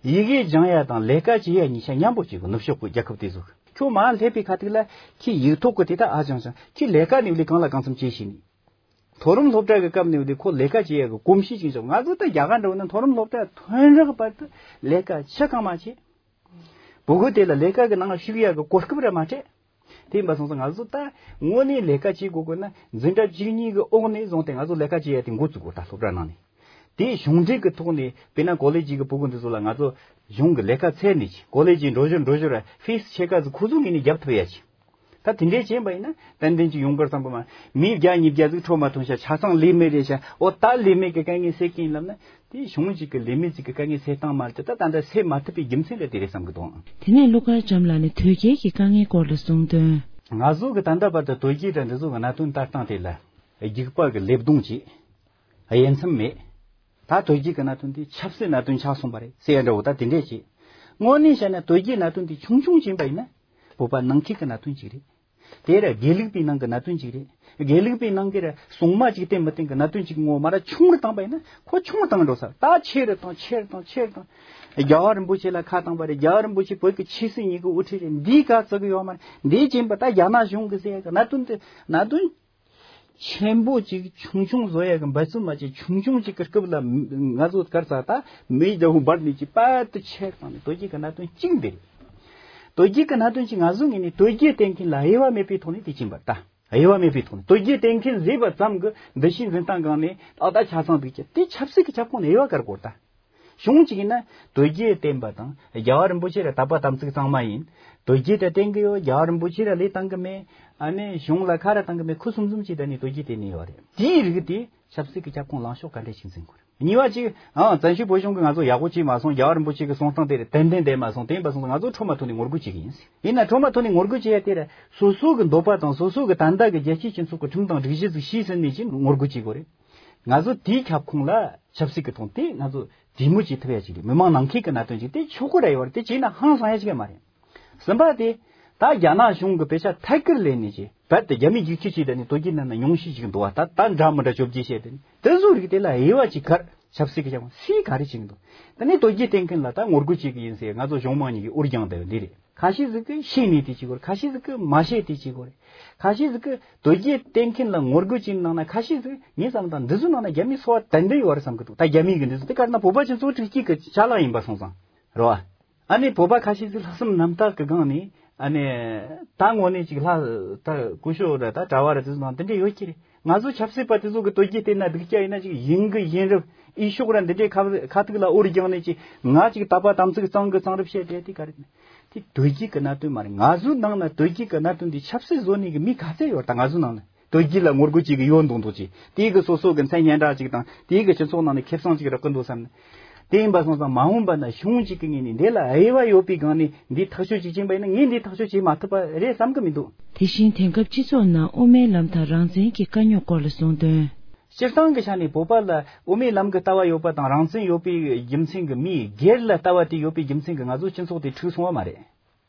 ཡི་གེ་སྦྱང་ཡ་དང་ལས་ཀ་བྱེད་ཡ་གཉིས་ཆ་མཉམ་པོ་བྱེད་དགོས། ནུབ་ཕྱོགས་གི་རྒྱལ་ཁབ་དེ་ཚོ་གི་ཁྱོད་མར་སླེབས་པའི་ཁ་ཐུག་ལ་ཁྱི་ཡིག་ཐོག་གི་དེ་དག་ཨ་སྦྱང་སྦྱང་ཁྱི་ལས་ཀ་ནས་ལས་གང་ལ་གང་འཚམ་བྱེད་ཤེས་ནི། མཐོ་རིམ་སློབ་གྲྭ་གི་སྐབས་ནས་ལས་ཁོ་ལས་ཀ་བྱེད་ཡ་གི་གོམས་གཤིས་ཅིག་བྱུང་། ང་ཚོ་ད་རྒྱ་གར་འདྲ་བོ་ན་མཐོ་རིམ་སློབ་གྲྭ་ཐོན་རག་བར་དུ་ལས་ཀ་ཆ་གང་མ་བྱེད། བུ་གུ་དེ་ལ་ལས་ཀ་གི་ནང་ཞུགས་ཡ་གི་གོ་སྐབས་ར་མ་སྤྲད། དེ་ཡིན་པ་སོང་ཙང་ང་ཚོ་ད་དངོས་གནས་ལས་ཀ་བྱེད་དགོས་དགོས་ན་འཛིན་གྲྭ་བཅུ་གཉིས་ཀྱི་འོག་ནས་བཟུང་སྟེ་ང་ཚོ་ལས་ཀ་བྱེད་ཡ་དེ་འགོ་བཙུགས་དགོས། ད་སློབ་གྲྭ་ནང་ནས་དེ་གཞུང་འབྲེལ་གྱི་ཐོག་ནས་དཔེར་ན་ཀོ་ལེ་ཇི་གི་ཕྲུ་གུ་འདི་ཚོ་ལ་ང་ཚོ་གཞུང་གི་ལས་ཀ་འཚོལ་ནས་ཀོ་ལེ་ཇི་འགྲོ་ཞོར་འགྲོ་ཞོར་ཕིས་ཆེ་ཁ་ཟིག་ཁོ་ཚོ་ངོས་ནས་རྒྱབ་ཐུབ་ཡ་ཅིག་ད་དེ་འདྲས་བྱས་པ་ཡིན་ན་ཏན་ཏན་ཅིག་ཡོང་གི་རེད་བསམ་གི་མ། མི་བརྒྱ་ཉིས་བརྒྱ་ཟིག་འཕྲོ་མ་ཐོན་ཤག་ཆ་ཚང་ལས་མེད་རེད་ཤག་འོ་ད་ལས་མེད་ཀྱི་དཀའ་ངལ་སེལ་གི་ཡིན་ལབ་ན་དེ་གཞུང་གཅིག་གི་ལས་མེད་གཅིག་གི་དཀའ་ངལ་སེལ་སྟངས་མ་རེད་དེ། ད་ད་ལྟ་སེལ་མ་ཐུབ་པའི་རྒྱུ་མཚན་རེད་དེ་རེད་བསམ་གི་འདུག་དེ་ནས་ཀླུ་མཁར་བྱམས་ལགས་ནས་དོལ་རྒྱལ་གྱི་དཀའ་ངལ་སྐོར་ལ་གསུངས་དོན། ང་ཚོ་གི་ད་ལྟ་བར་དུ་དོལ་རྒྱལ་དང་འདི་ཚོ་གི་གནད་དོན་ལྟ་སྟངས་དེ་ལ་རྒྱུག་པ་གི་ལེབ་རྡུང་བྱས། དབྱེ་མཚམས་མེད། ད་དོལ་རྒྱལ་གི་གནད་དོན་དེ་ཆབ་སྲིད་གནད་དོན་ཆགས་སོང་བ་རེད་ཟེར་ཡ་འདྲ་བོ་ད་དེ་འདྲས་བྱས། དངོས་གནས་བཤད་ན་དོལ་རྒྱལ་གནད་དོན་དེ་ཆུང་ཆུང་ཕྱིན་པ་ཡིན་ན་བོད་པ་ནང་ཁུལ་གི་གནད་དོན་ཅིག་རེད། དེ་ར་དགེ་ལུགས་པའི་ནང་གི་གནད་དོན་ཅིག་རེད། དགེ་ལུགས་པའི་ནང་གི་ར་སྲུང་མ་ཅིག་བསྟེན་མི་བསྟེན་གི་གནད་དོན་ཅིག་ངོ་མ་ར་ཆུང་རུ་བཏང་པ་ཡིན་ན་ཁོ་ཆུང་རུ་བཏང་འགྲོ་ས་ད་ཆེ་རུ་བཏང་ཆེ་རུ་བཏང་ཆེ་རུ་བཏང་། རྒྱལ་བ་རིན་པོ་ཆེ་ལ་ཁ་བཏང་པ་རེད། རྒྱལ་བ་རིན་པོ་ཆེ་བོད་ཀྱི་ཆོས་སྲིད་གཉིས་ཀྱི་དབུ་ཁྲིད་རེད། འདིའི་ག་ཚོད་གི་ཡོད་མ་རེད། འདིའི་རྐྱེན་པ་ད་རྒྱ་ནག་གཞུང་གི་ཟེར་ཡ་གི་གནད་དོན་དེ་གནད་དོན་ཆེན་པོ་ཅིག་ཆུང་ཆུང་བཟོ་ཡ་གི་འབད་བརྩོན་མ་བྱེད། ཆུང་ཆུང་ཅིག་གི་སྐབས་ལ་ང་ཚོ་གར་ས་ད་མི་རྒྱ་བོ་འབར་ནས་ཅིག་པད་དུ་ཆེར་བཏང་ནས་དོལ་རྒྱལ་གི་གནད་དོན་གཅིག་འདི་རེད། དོལ་རྒྱལ་གི་གནད་དོན་གཅིག་ང་ཚོ་ངོས་ནས་དོལ་རྒྱལ་བསྟེན་མཁན་ལ་དབྱེ་བ་མེད་པའི་ཐོག་ནས་དེ་ཕྱིན་པ་ད་དབྱེ་བ་མེད་པའི་ཐོག་ནས་དོལ་རྒྱལ་བསྟེན་མཁན་བཟོས་པ་ཙམ་གི་འདུ་ཤེས་འཛིན་སྟངས་སྒང་ནས་ཨ་ད་ཆ་ཚང་འདུག་ཀྱི་དེ་ཆབ་སྲིད་ཀྱི་ཁྱབ་ཁོངས་ནས་དབྱེ་བ་བཀར་དགོས་ད། གཞུང་གཅིག་ཡིན་ན་དོལ་རྒྱལ་བསྟེན་པ་དང་རྒྱལ་བ་རིན་པོ་ཆེ་ར་དད་པ་དམ་ཚིག་གཙང་མ་ཡིན། དོལ་རྒྱལ་དེ་བསྟེན་གི་ཡོད། རྒྱལ་བ་རིན་པོ་ཆེ་ར་ལས་བཏང་གི་མེད། ཨ་ནི་གཞུང་ལ་ཁ་ར་བཏང་གི་མེད། ཁུ་སུམ་སུམ་ཅིག་ད་ནི་དོལ་རྒྱལ་བསྟེན་ནི་ཡོད་རེད། དེའི་རིགས་དེ་ཆབ་སྲིད་ཀྱི་ཁྱབ་ཁོངས་ལངས་ཕྱོགས་ག་འདྲས་ཤིག་འཛིན་དགོས་རེད། གཉིས་པ་གཅིག་ཨང་བཙན་བྱོལ་བོད་གཞུང་གི་ང་ཚོ་ཡག་པོ་བྱས་མ་སོང་། རྒྱལ་བ་རིན་པོ་ཆེ་གི་གསུང་སྟངས་དེ་རེད་ཏན་ཏན་བསྡད་མ་སོང་། དེ་ཡིན་པ་སོང་ཙང་ང་ཚོ་ཁྲོམ་མ་ཐོན་ནས་ངོ་རྒོལ་བྱེད་གི་ཡིན། ཡིན་ན་ཁྲོམ་མ་ཐོན་ནས་ངོ་རྒོལ་བྱེད་ཡ་དེ་ར་སོ་སོ་གི་འདོད་པ་དང་སོ་སོ་གི་ད་ལྟ་གི་རྒྱལ་སྤྱིའི་སྤྱི་ཚོགས་ཀྱི་ཁྲིམས་དང་སྒྲིག་གཞི་ཟིག་ཤེས་ཟིན་ནས་ཀྱི་ངོ་རྒོལ་བྱེད་དགོས་རེད། ང་ཚོ་དེའི་ཁྱབ་ཁོངས་ལ་ཆབ་སྲིད་ཀྱི་ཐོག་དེ་ང་ཚོ་གྲོས་མོལ་བྱེད་ཐུབ་ཡ་ཅིག་རེད། མི་མང་ནང་ཁུལ་གྱི་གནད་དོན་ཅིག་དེ་ཆོག་གི་ར་ཡོད་རེད། དེ་བྱས་ན་ཧང་སང་ཡ་ཅིག་ཡང་མ་རེད། གསུམ་པ་དེ་ད་རྒྱ་ནག་གཞུང་གི་དཔེ་ཆ་ཐད་ཀར་ལེན་ནས་ཅིག་རྦད་དེ་རྒྱ་མིའི་རྒྱུག་ཁྱི་བྱས་ད་ནི་དོལ་རྒྱལ་ནང་ན་ཉུང་ཤས་ཅིག་འདུག་བ། ད་ད་འདྲ་མི་འདྲ་བཅོ་བརྒྱད་བཤད་དེ་ནི་དེ་ཚོ་རིགས་དེ་ལ་དབྱེ་བ་ཅིག་བཀར། ཆབ་སྲིད་ཀྱི་ཆབ་ཁོངས་སུས་ག་རེ་བྱེད་ཀྱི་འདུག་ད་ནི་དོལ་རྒྱལ་བསྟེན་མཁན་ལ་ད་ངོ་རྒོལ་བྱེད་ཀྱི་ཡིན་ཟེར་ང་ཚོ་གཞུང་མང་གཉིས་ཀྱི་འུར་རྒྱང་བསྡད་པ་འདི་རེད། ཁ་ཤས་ཟིག་གིས་ཤེས་ནས་དེ་བྱེད་དགོས་རེད། ཁ་ཤས་ཟིག་གིས་མ་ཤེས་དེ་བྱེད་དགོས་རེད། ཁ་ཤས་ཟིག་གིས་དོལ་རྒྱལ་བསྟེན་མཁན་ལ་ངོ་རྒོལ་བྱེད་ནང་ན་ཁ་ཤས་ཟིག་ངས་བསམ་དང་འདི་ཚོའི་ནང་ན་རྒྱ་མིའི་སོ་པ་ཏན་ཏན་ཡོད་རེད་བསམ་གི་འདུག་ད་རྒྱ་མི་གི་འདི་ཚོ་དེ་ག་རེ་ན་བོད་པ་ཅན་ཚོ་དྲུག་སྐྱིད་ཀྱི་ཅ་ལག་ཡིན་པ་སོང་ཙང་རེད་བ། ཨ་ནི་བོད་པ་ཁ་ཤས་ཚོས་ལྷག་བསམ་རྣམ་དག་གི་སྒང་ནས་ཨ་ནི་ད་དངོས་གནས་ཅིག་ལྷ་ད་སྐུ་ཞབས་ར་ད་གྲྭ་བ་ར་དེ་ཚོ་དང་དེ་འདྲ་ཡོད་ཀྱི་རེད། ང་ཚོ་ཆབ་སྲིད་པ་དེ་ཚོ་གི་དོལ་རྒྱལ་བསྟེན་ན་སྡུག་ཅག་ཡིན་ན་ཅིག་ཡིན་གི་ཡིན་རབས་ཨི་ཤོག་ར་འདི་འདྲའི་ཁ་ཁ་ཐུག་ལ་འུར་རྒྱང་ནས་ཅིག་ང་ཅིག་དད་པ་དམ་ཚིག་གཙང་གི་གཙང་རབས་བཤད་བསྡད་དེ་ག་རེ་ནི་དེ་དོལ་རྒྱལ་གི་གནད་དོན་མ་རེད། ང་ཚོའི་ནང་ན་དོལ་རྒྱལ་གི་གནད་དོན་འདི་ཆབ་སྲིད་བཟོ་ནས་གི་མི་ག་ཚད་ཡོད་ད་ང་ཚོའི་ནང་ན། དོལ་རྒྱལ་ལ་ངོ་རྒོལ་བྱེད་ཀྱི་ཡོད་མདོག་མདོག་ཅིག་དེའི་གི་སོ་སོ་གི་མཚན་སྙན་གྲགས་ཅིག་དང་དེའི་གི་སྤྱི་ཚོགས་ནང་ནས་ཁེ་བཟང་ཅིག་རག་གི་འདུག་བསམ་ནས། དེ་ཡིན་པ་སོང་ཙང་མ་འོངས་པ་ན་གཞུང་གཅིག་གི་ངོས་ནས་འདི་ལ་དབྱེ་བ་ཡོད་པའི་སྒང་ནས་འདི་ཐག་གཅོད་ཅིག་བྱིན་པ་ཡིན་ན་ངས་འདི་ཐག་གཅོད་བྱེད་མ་ཐུབ་པ་རེད་བསམ་གི་མི་འདུག་དེ་བཞིན་དེང་སྐབས་སྤྱི་ཚོགས་ནང་དབུ་མའི་ལམ་དང་རང་བཙན་གྱི་དཀའ་རྙོག་སྐོར་ལ་གསུངས་དོན། སྤྱིར་བཏང་གི་ཆ་ནས་བོད་པ་ལ་དབུ་མའི་ལམ་གྱི་ལྟ་བ་ཡོད་པ་དང་རང་བཙན་ཡོད་པའི་རྒྱུ་མཚན་གྱིས་མིའི་སྒེར་ལ་ལྟ་བ་དེ་ཡོད་པའི་རྒྱུ་མཚན་གྱིས་ང་ཚོ་སྤྱི་ཚོགས་དེ་འཁྲུག་སོང་བ་མ་རེད།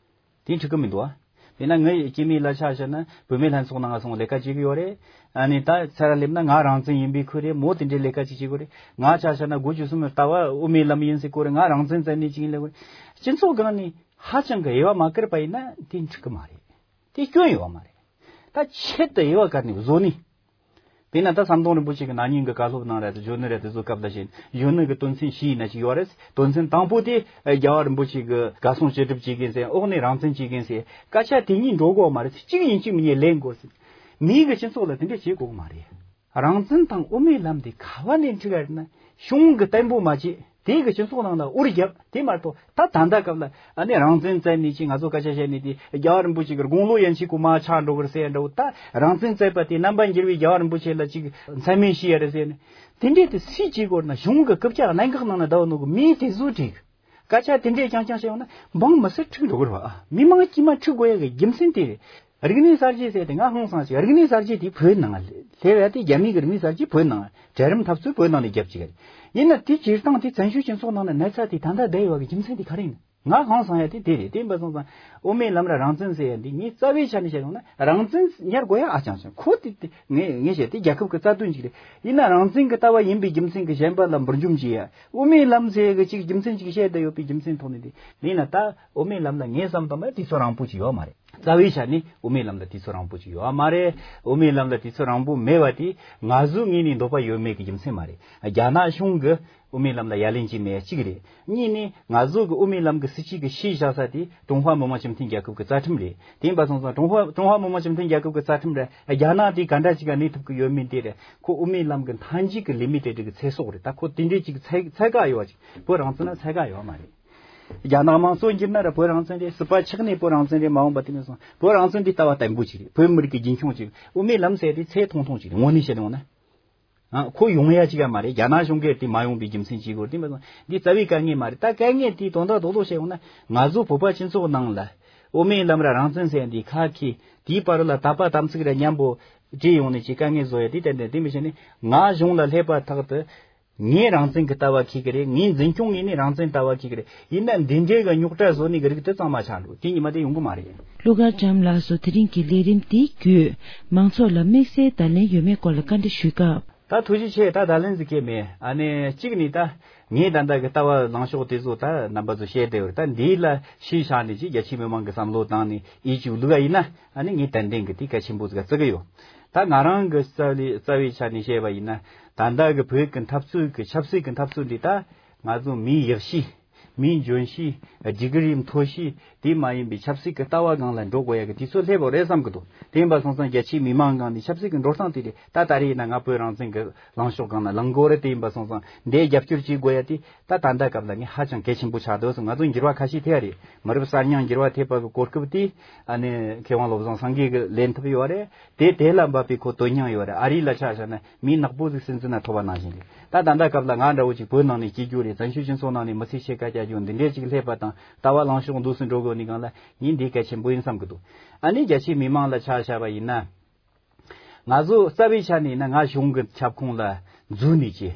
དེ་འཁྲུག་གི་མི་འདུག་ཨ། དེས་ན་ངའི་སྐྱེ་དམན་ལ་ཆ་བཞག་ན་བུད་མེད་ལྷན་ཚོགས་ནང་ང་སོང་ལས་ཀ་བྱེད་ཀྱི་ཡོད་རེད། ཨ་ནི་ད་ཚར་སླེབས་ན་ང་རང་བཙན་ཡིན་པའི་ཁུལ་རེད། མོ་དེ་འདྲའི་ལས་ཀ་ཅིག་བྱེད་དགོས་རེད། ང་ཆ་བཞག་ན་དགུ་བཅུ་གསུམ་ལྟ་བ་དབུ་མའི་ལམ་ཡིན་ཟེར་གོ་རེད། ང་རང་བཙན་བཙལ་ནས་ཅིག་ཡིན་ལས་གོ་རེད། སྤྱི་ཚོགས་སྒང་ནས་ཧ་ཅང་གི་དབྱེ་བ་མ་བཀར་པ་ཡིན་ན་དེ་འགྲིག་གི་མ་རེད། དེ་སྐྱོན་ཡོད་པ་མ་རེད། ད་ཆེད་དུ་དབྱེ་བ་བཀར་ནས་བཟོ་ནི། དཔེར་ན་ད་ཟམ་གདོང་རིན་པོ་ཆེ་གི་ན་ནིང་གི་བཀའ་སློབ་ནང་ར་དེ་གཞོན་ནུ་ར་དེ་ཚོ་སྐབས་ལ་བྱས་གཞོན་ནུ་གི་དོན་ཚན་བཞི་ཡིན་ན་ཅིག་ཡོད་རེད། དོན་ཚན་དང་པོ་དེ་རྒྱལ་བ་རིན་པོ་ཆེ་གི་བཀའ་གསུང་བཅད་སྒྲུབ་བྱེད་མཁན་ཟེར། འོག་ནས་རང་བཙན་བྱེད་མཁན་ཟེར། སྐད་ཆ་དེ་གཉིས་འགྲོ་དགོས་མ་རེད། གཅིག་ཡིན་གཅིག་མིན་ལེན་དགོས་ཟེར། མིའི་གི་སྤྱི་ཚོགས་ལ་དེ་འདྲ་བྱེད་དགོས་མ་རེད། རང་བཙན་དང་དབུ་མའི་ལམ་དེ་ག་བ་ནས་འཁྲུག་ག་རེད་ན། གཞུང་གི་བརྟན་པོ་མ་བྱེད། དེ་གི་སྤྱི་ཚོགས་ནང་ལ་འུར་རྒྱབ། དེ་མ་གཏོགས་ད་ད་ལྟ་སྐབས་ལ་ཨ་ནི་རང་བཙན་བཙལ་ནས་ཅིག་ང་ཚོ་སྐད་ཆ་བཤད་ནས་དེ་རྒྱལ་བ་རིན་པོ་ཆེ་གི་དགུང་ལོ་ཡན་ཆད་གོ་མ་ཆག་འགྲོ་གི་རེད་ཟེར་འདྲ་བོ། ད་རང་བཙན་བཙལ་བ་དེ་རྣམ་པ་འགྱུར་བའི་རྒྱལ་བ་རིན་པོ་ཆེ་ལ་ཅིག་མཚན་སྨད་བྱས་ཡ་རེད་ཟེར་ནས། དེ་འདྲས་དེ་སུས་བྱེད་དགོས་ན། གཞུང་གི་རྐུབ་བཀྱག་གནད་འགག་ནང་ན་བསྡད་ནོ་གི་མིས་དེ་ཚོ་བྲིས། སྐད་ཆ་དེ་འདྲས་རྐྱང་རྐྱང་བཤད་ཡོང་ན་འབངས་མི་སེར་འཁྲུག་འགྲོ་གི་རེད་བ། མི་མང་དཀྱུས་མ་འཁྲུག་དགོས་ཡ་གི་རྒྱུ་མཚན་དེ་རེད། རིག་གནས་གསར་བརྗེ་ཟེར་དེ་ང་ཧང་སང་ཞིག་རིག་གནས་གསར་བརྗེ་དེ་བོད་ནང་སླེབས་ཡ་དེ། རྒྱ་མི་གི་རིག་གནས་གསར་བརྗེ་བོད་ནང་གྲལ་རིམ་འཐབ་རྩོད་བོད་ནང་ནས་རྒྱབ་ཅིག་རེད། ཡིན་ན་དེ་སྤྱིར་བཏང་དེ་བཙན་བྱོལ་སྤྱི་ཚོགས་ནང་ན་གནས་ཚད་དེ་ད་ལྟ་བསྡད་ཡོད་པ་གི་རྒྱུ་མཚན་དེ་ག་རེ་ཡིན། ང་ཧང་སང་ཡ་དེ་དེ་རེད། དེ་ཡིན་པ་སོང་ཙང་དབུ་མའི་ལམ་ལ་རང་བཙན་ཟེར་ཡ་འདི་ངས་རྩ་བའི་ཆ་ནས་བཤད་ཡོང་ན་རང་བཙན་ཉར་དགོས་ཡ་ཨ་ཅང་ཅང་ཁོ་དེ་དེ་ངས་ངས་བཤད་དེ་རྒྱལ་ཁབ་ཀྱི་རྩ་དོན་ཅིག་རེད། ཡིན་ན་རང་བཙན་གྱི་ལྟ་བ་ཡིན་པའི་རྒྱུ་མཚན་གྱིས་གཞན་པ་ལ་འབུར་འཇོམས་བྱེད་ཡ། དབུ་མའི་ལམ་ཟེར་གི་ཅིག་རྒྱུ་མཚན་ཅིག་བཤད་བསྡད་ཡོད་པའི་རྒྱུ་མཚན་ཐོག་ནས་དེ་ཡིན་ན། ད་དབུ་མའི་ལམ་ལ་ངས་བསམ་བཏང་བ་དུས་ཚོད་རིང་པོ་ཅིག་ཡོད་མ་རེད། རྩ་བའི་ཆ་ནས་དབུ་མའི་ལམ་ལ་དུས་ཚོད་རིང་པོ་ཅིག་ཡོད་མ་རེད། དབུ་མའི་ལམ་ལ་དུས་ཚོད་རིང་པོ་མེད་པ་དེ་ང་ཚོའི་ངོས་ནས་འདོད་པ་ཡོད་མེད་ཀྱི་རྒྱུ་མཚན་མ་རེད། རྒྱ་ནག་གཞུང་གི་དབུ་མའི་ལམ་ལ་ཡ་ལན་བྱས་མེད་གཅིག་རེད། གཉིས་ནས་ང་ཚོ་གི་དབུ་མའི་ལམ་གི་སྲིད་བྱུས་ཀྱི་གཞི་བཞག་ས་དེ་ཀྲུང་ཧྭ་མི་དམངས་སྤྱི་མཐུན་རྒྱལ་ཁབ་ཀྱི་རྩ་ཁྲིམས་རེད། དེ་ཡིན་པ་སོང་ཙང་ཀྲུང་ཧྭ་ཀྲུང་ཧྭ་མི་དམངས་སྤྱི་མཐུན་རྒྱལ་ཁབ་ཀྱི་རྩ་ཁྲིམས་རེད། རྒྱ་ནག་དེ་ག་འདྲ་ཅིག་ག་གནས་ཐུབ་ཀྱི་ཡོད་མེད་དེ་རེད། ཁོ་དབུ་མའི་ལམ་གྱི་མཐའ་མཇུག་གི་ལི་མི་ཊེ་ཌི་གི་ཚེ་སྲོག་རེད། ད་ཁོ་དེ་འདྲའི་ཅིག་ཚད་ཚད་བཀག་ཡོད་པ་ཅིག་བོད་རང་བཙན་ལ་ཚད་བཀག་ཡོད་མ་རེད། རྒྱ་ནག་དམངས་གཙོ་འགྱུར་ན་ར་བོད་རང་བཙན་རེད། སྲིད་པ་ཆགས་ནས་བོད་རང་བཙན་རེད། མ་འོངས་པ་དེ་ནས་བཟུང་བོད་རང་བཙན་འདི་ལྟ་བ་བརྟན་པོ་ཅིག་རེད། བོད་མི་རིགས་ཀྱི་རྒྱུན་འཁྱོངས་ཅིག་དབུ་མའི་ལམ་ཟེར་དེ་ཚད་ཐུང་ཐུང་ཅིག་རེད། དངོས་གནས་བཤད་ཡོང་ན། ཨ། ཁོ་ཡོང་ཡ་ཅིག་ཡ་མ་རེད། རྒྱ་ནག་གཞུང་གིས་དེ་མ་ཡོང་པའི་རྒྱུ་མཚན་ཅིག་གོ། དེ་མ་ཟད་འདི་རྩ་བའི་དཀའ་ངལ་མ་རེད། ད་དཀའ་ངལ་དེའི་དོན་དག་རྡོག་རྡོག་བཤད་ཡོང་ན། ང་ཚོ་བོད་པ་སྤྱི་ཚོགས་ནང་ལ་དབུ་མའི་ལམ་ར་རང་བཙན་ཟེར་འདི་ཁ་ཁི་དེའི་བར་ལ་དད་པ་དམ་ཚིག་ར་མཉམ་པོ་བྲིས་ཡོང་ནས་ཅིག་དཀའ་ངལ་བཟོ་ཡ་དེ་ཏན་ཏན། དེ་མི་བྱས་ནས་ང་གཞུང་ལ་སླེབས་པ་ཐག་ཏུ་ངས་རང་བཙན་གྱི་ལྟ་བ་འཁྱེར་གི་རེད། ངས་འཛིན་སྐྱོང་ངོས་ནས་རང་བཙན་ལྟ་བ་འཁྱེར་གི་རེད། ཡིན་ན་འདི་འདྲའི་གི་རྙོག་དྲ་བཟོ་ནི་གི་རིགས་དེ་གཙང་མ་ཆགས་འགྲོ། དེ་ཉི་མ་དེ་ཡོང་གི་མ་རེད། ཀླུ་མཁར་བྱམས་ལགས་སུ་དེ་རིང་གི་ལས་རིམ་འདི་བརྒྱུད་མང་ཚོགས་ལ་དམིགས་བསལ་བརྡ་ལན་ཡོད་མེད་སྐོར་ལ་བཀའ་འདྲི་ཞུས་སྐབས། ད་ཐུགས་རྗེ་ཆེ། ད་བརྡ་ལན་ཟིག་གལ་མེད། ཨ་ནི་གཅིག་ནི་ད་ངས་ད་ལྟ་གི་ལྟ་བ་ལངས་ཕྱོགས་དེ་ཚོ་ད་རྣམ་པ་ཚོ་བཤད་བསྡད་ཡོད་རེད། ད་འདི་ལ་གཞི་བཞག་ནས་ཅིག་རྒྱ་ཆེའི་མི་མང་གི་བསམ་བློ་བཏང་ནས་ཡིད་ཆེས་བླུག་ག་ཡིན་ན། ཨ་ནི་ངས་ཏན་ཏན་གི་དེ་གལ་ཆེན་པོ་ཟིག་བརྩི་གི་ཡོད། ད་ང་རང་གི་རྩ་བའི་རྩ་བའི་ཆ་ནས་བཤད་པ་ཡིན་ན། ད་ལྟ་གི་བོད་ཀྱི་འཐབ་རྩོད་ཀྱི་ཆབ་སྲིད་ཀྱི་འཐབ་རྩོད་འདི་ད་ང་ཚོ་མིའི་ཡག་ཤོས། མིའི་འཇོན་ཤོས། སྒྲིག་གི་རིམ་མཐོ་ཤོས། དེ་མ་ཡིན་པའི་ཆབ་སྲིད་ཀྱི་ལྟ་བ་སྒང་ལ་འགྲོ་དགོས་ཡ་གི་དུས་ཚོད་སླེབས་པ་རེད་བསམ་གི་འདུག་དེ་ཡིན་པ་སོང་ཙང་རྒྱ་ཆེའི་མི་མང་སྒང་ནས་ཆབ་སྲིད་ཀྱི་འགྲོ་སྟངས་དེ་རེད། ད་ད་རེས་ཡིན་ན་ང་བོད་རང་བཙན་གྱི་ལངས་ཕྱོགས་སྒང་ལ་ལངས་དགོས་རེད། དེ་ཡིན་པ་སོང་ཙང་འདིའི་རྒྱབ་སྐྱོར་བྱེད་དགོས་ཡ་དེ་ད་ད་ལྟ་སྐབས་ལ་ངས་ཧ་ཅང་གལ་ཆེན་པོ་ཆགས་འདུག་ང་ཚོ་འགྱུར་བ་ཁ་ཤས་ཐེབས་པ་རེད། མི་རབས་གསར་རྙིང་འགྱུར་བ་ཐེབས་པ་གི་གོ་སྐབས་དེ་ཨ་ནི་མཁས་དབང་བློ་བཟང་སེང་གེ་གིས་ལེན་ཐུབ་ཡོད་རེད། དེ་དེ་ལ་འབབ་པའི་ཁོ་དོན་སྙིང་ཡོད་རེད། ཨ་རི་ལ་ཆ་བཞག་ན་མི་ནག་པོ་ཟིག་སྲིད་འཛིན་ན་ཐོབ་པ་ནང་བཞིན་རེད། ད་ད་ལྟ་སྐབས་ལ་ང་འདྲ་བོ་ཅིག་བོད་ནང་ནས་སྐྱེས་རྒྱུ་རེད། བཙན་བྱོལ་སྤྱི་ཚོགས་ནང་ནས་མི་ཚེ་ཕྱེད་ཀ་བསྐྱལ་རྒྱུ་འདི་འདྲས་ཅིག་སླེབས་པ་དང་ལྟ་བ་ལངས་ཕྱོགས་འདུག་སེ་འགྲོ་དགོས་ནི་སྒང་ལ་ངས་འདི་གལ་ཆེན་པོ་ཡིན་བསམ་གི་འདུག་ཨ་ནི་རྒྱ་ཆེའི་མི་མང་ལ་ཆ་བཞག་པ་ཡིན་ན། ང་ཚོ་རྩ་བའི་ཆ་ནས་ཡིན་ན་ང་གཞུང་གི་ཁྱབ་ཁོངས་ལ་འཛུལ་ནས་ཀྱི།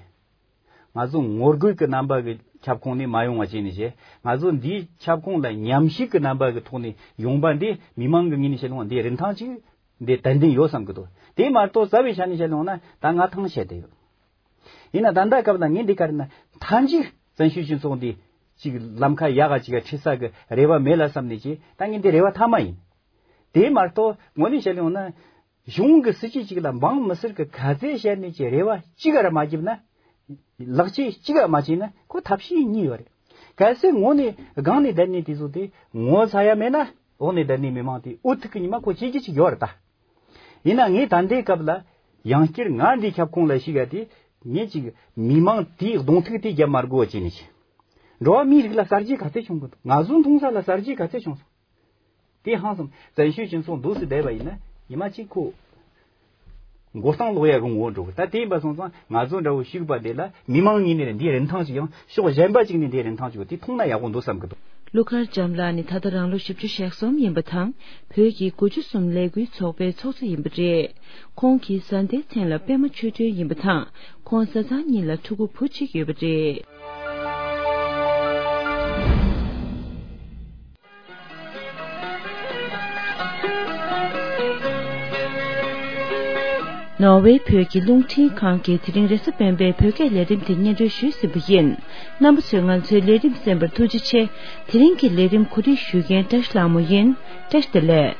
ང་ཚོ་ངོ་རྒོལ་གྱི་རྣམ་པ་གི་ཁྱབ་ཁོངས་ནས་མ་ཡོང་བ་བྱས་ནས་བྱས། ང་ཚོ་འདིའི་ཁྱབ་ཁོངས་ལ་ཉམས་ཞིབ་ཀྱི་རྣམ་པ་གི་ཐོག་ནས་ཡོང་པ་འདི་མི་མང་གི་ངོས་ནས་བཤད་ཡོང་བ་འདི་རིན་ཐང་ཅིག་འདི་ཏན་ཏན་ཡོད་བསམ་གི་འདུག་དེ་མ་གཏོགས་རྩ་བའི་ཆ་ནས་བཤད་ཡོང་ན་ད་ང་ཐང་ཆད་བསྡད་ཡོད། ཡིན་ན་ད་ལྟ་སྐབས་ལ་ངས་འདི་ག་རེ་ན་མཐའ་མཇུག་བཙན་བྱོལ་སྤྱི་ཚོགས་འདི་ཅིག་ལམ་ཁ་ཡག་ག་ཅིག་ག་ཁྲིད་ས་གི་རེ་བ་མེད་ལ་བསམ་ནས་ཀྱི་ད་ངས་འདི་རེ་བ་མཐའ་མ་ཡིན། དེ་མ་གཏོགས་དངོས་གནས་བཤད་ཡོང་ན། གཞུང་གི་སྲིད་ཇུས་གཅིག་ལ་འབངས་མི་སེར་གྱི་ཁ་ཚད་བཤད་ནས་ཀྱི་རེ་བ་གཅིག་ར་མ་བརྒྱབ་ན། ལག་ཆས་གཅིག་ར་མ་བྱས་ན་ཁོ་ཐབས་ཤེས་གཉིས་ཡོད་རེད། གལ་སྲིད་ངོ་ནས་སྒང་ནས་བསྡད་ནས་དེ་ཚོ་དེ་ངོ་ཚ་ཡ་མེད་ན་འོག་ནས་བསྡད་ནས་མི་མང་དེ་འུ་ཐུག་གི་ཉི་མ་ཁོ་ཤེས་ཀྱི་ཅིག་ཡོད་རེད་ད། ཡིན་ན་ངས་ད་ལྟའི་སྐབས་ལ་ཡང་བསྐྱར་ང་འདི་ཁྱབ་ཁོངས་ལ་ཞུགས་ཡ་དེ་ངས་ཅིག་མི་མང་དེའི་གདོང་ཐུག་དེ་རྒྱབ་མ་དགོས་བྱས་ནས་ཅིག་འགྲོ་བ་མིའི་རིགས་ལ་གསར་བརྗེ་ག་ཚད་བྱུང་གི་འདུག་ང་ཚོ་མཐོང་ས་ལ་གསར་བརྗེ་ག་ཚད་བྱུང་སོང་། དེ་ཧང་སང་། བཙན་བྱོལ་སྤྱི་ཚོགས་འདུག་སེ་བསྡད་པ་ཡིན་ན་ཉི་མ་གཅིག་ཁོ་མགོ་རྟིང་སློག་ཡ་གི་ངོ་བོ་འགྲོ་གི། ད་དེ་ཡིན་པ་སོང་ཙང་ང་ཚོ་འདྲ་བོ་ཞུགས་པ་དེ་ལ་མི་མང་ངོས་ནས་འདིའི་རིན་ཐང་ཞིག་ཡང་ཕྱོགས་གཞན་པ་ཅིག་ནས་འདིའི་རིན་ཐང་ཞིག་ཡོད། དེ་མཐོང་ན་ཡག་པོ་འདུག་བསམ་གི་འདུག་ཀླུ་མཁར་བྱམས་ལགས་ནི་ད་ལྟ་རང་ལོ་བཞི་བཅུ་ཞེ་གསུམ་ཡིན་པ་དང་བོད་ཀྱི་དགུ་བཅུ་གསུམ་ལས་འགུལ་ཚོགས་པའི་ཚོགས་གཙོ་ཡིན་པ་རེད། ཁོང་གི་བཟའ་ཟླའི་མཚན་ལ་པད་མ་ཆོས་སྒྲོན་ཡིན་པ་དང་ཁོང་བཟའ་ཚང་གཉིས་ལ་ཕྲུ་གུ་བུ་གཅིག་ཡོད་པ་རེད། ནོར་ཝེ་བོད་ཀྱི་རླུང་འཕྲིན་ཁང་གིས་དེ་རིང་རེས་གཟའ་སྤེན་པའི་བོད་སྐད་ལས་རིམ་དེ་སྙན་སྒྲོན་ཞུས་ཟིན་པ་ཡིན། རྣམ་པ་ཚོས་ང་ཚོའི་ལས་རིམ་གསན་པར་ཐུགས་རྗེ་ཆེ། དེ་རིང་གི་ལས་རིམ་གོ་སྒྲིག་ཞུ་མཁན་བཀྲ་ཤིས་ལྷ་མོ་ཡིན། བཀྲ་ཤིས་བདེ་ལེགས།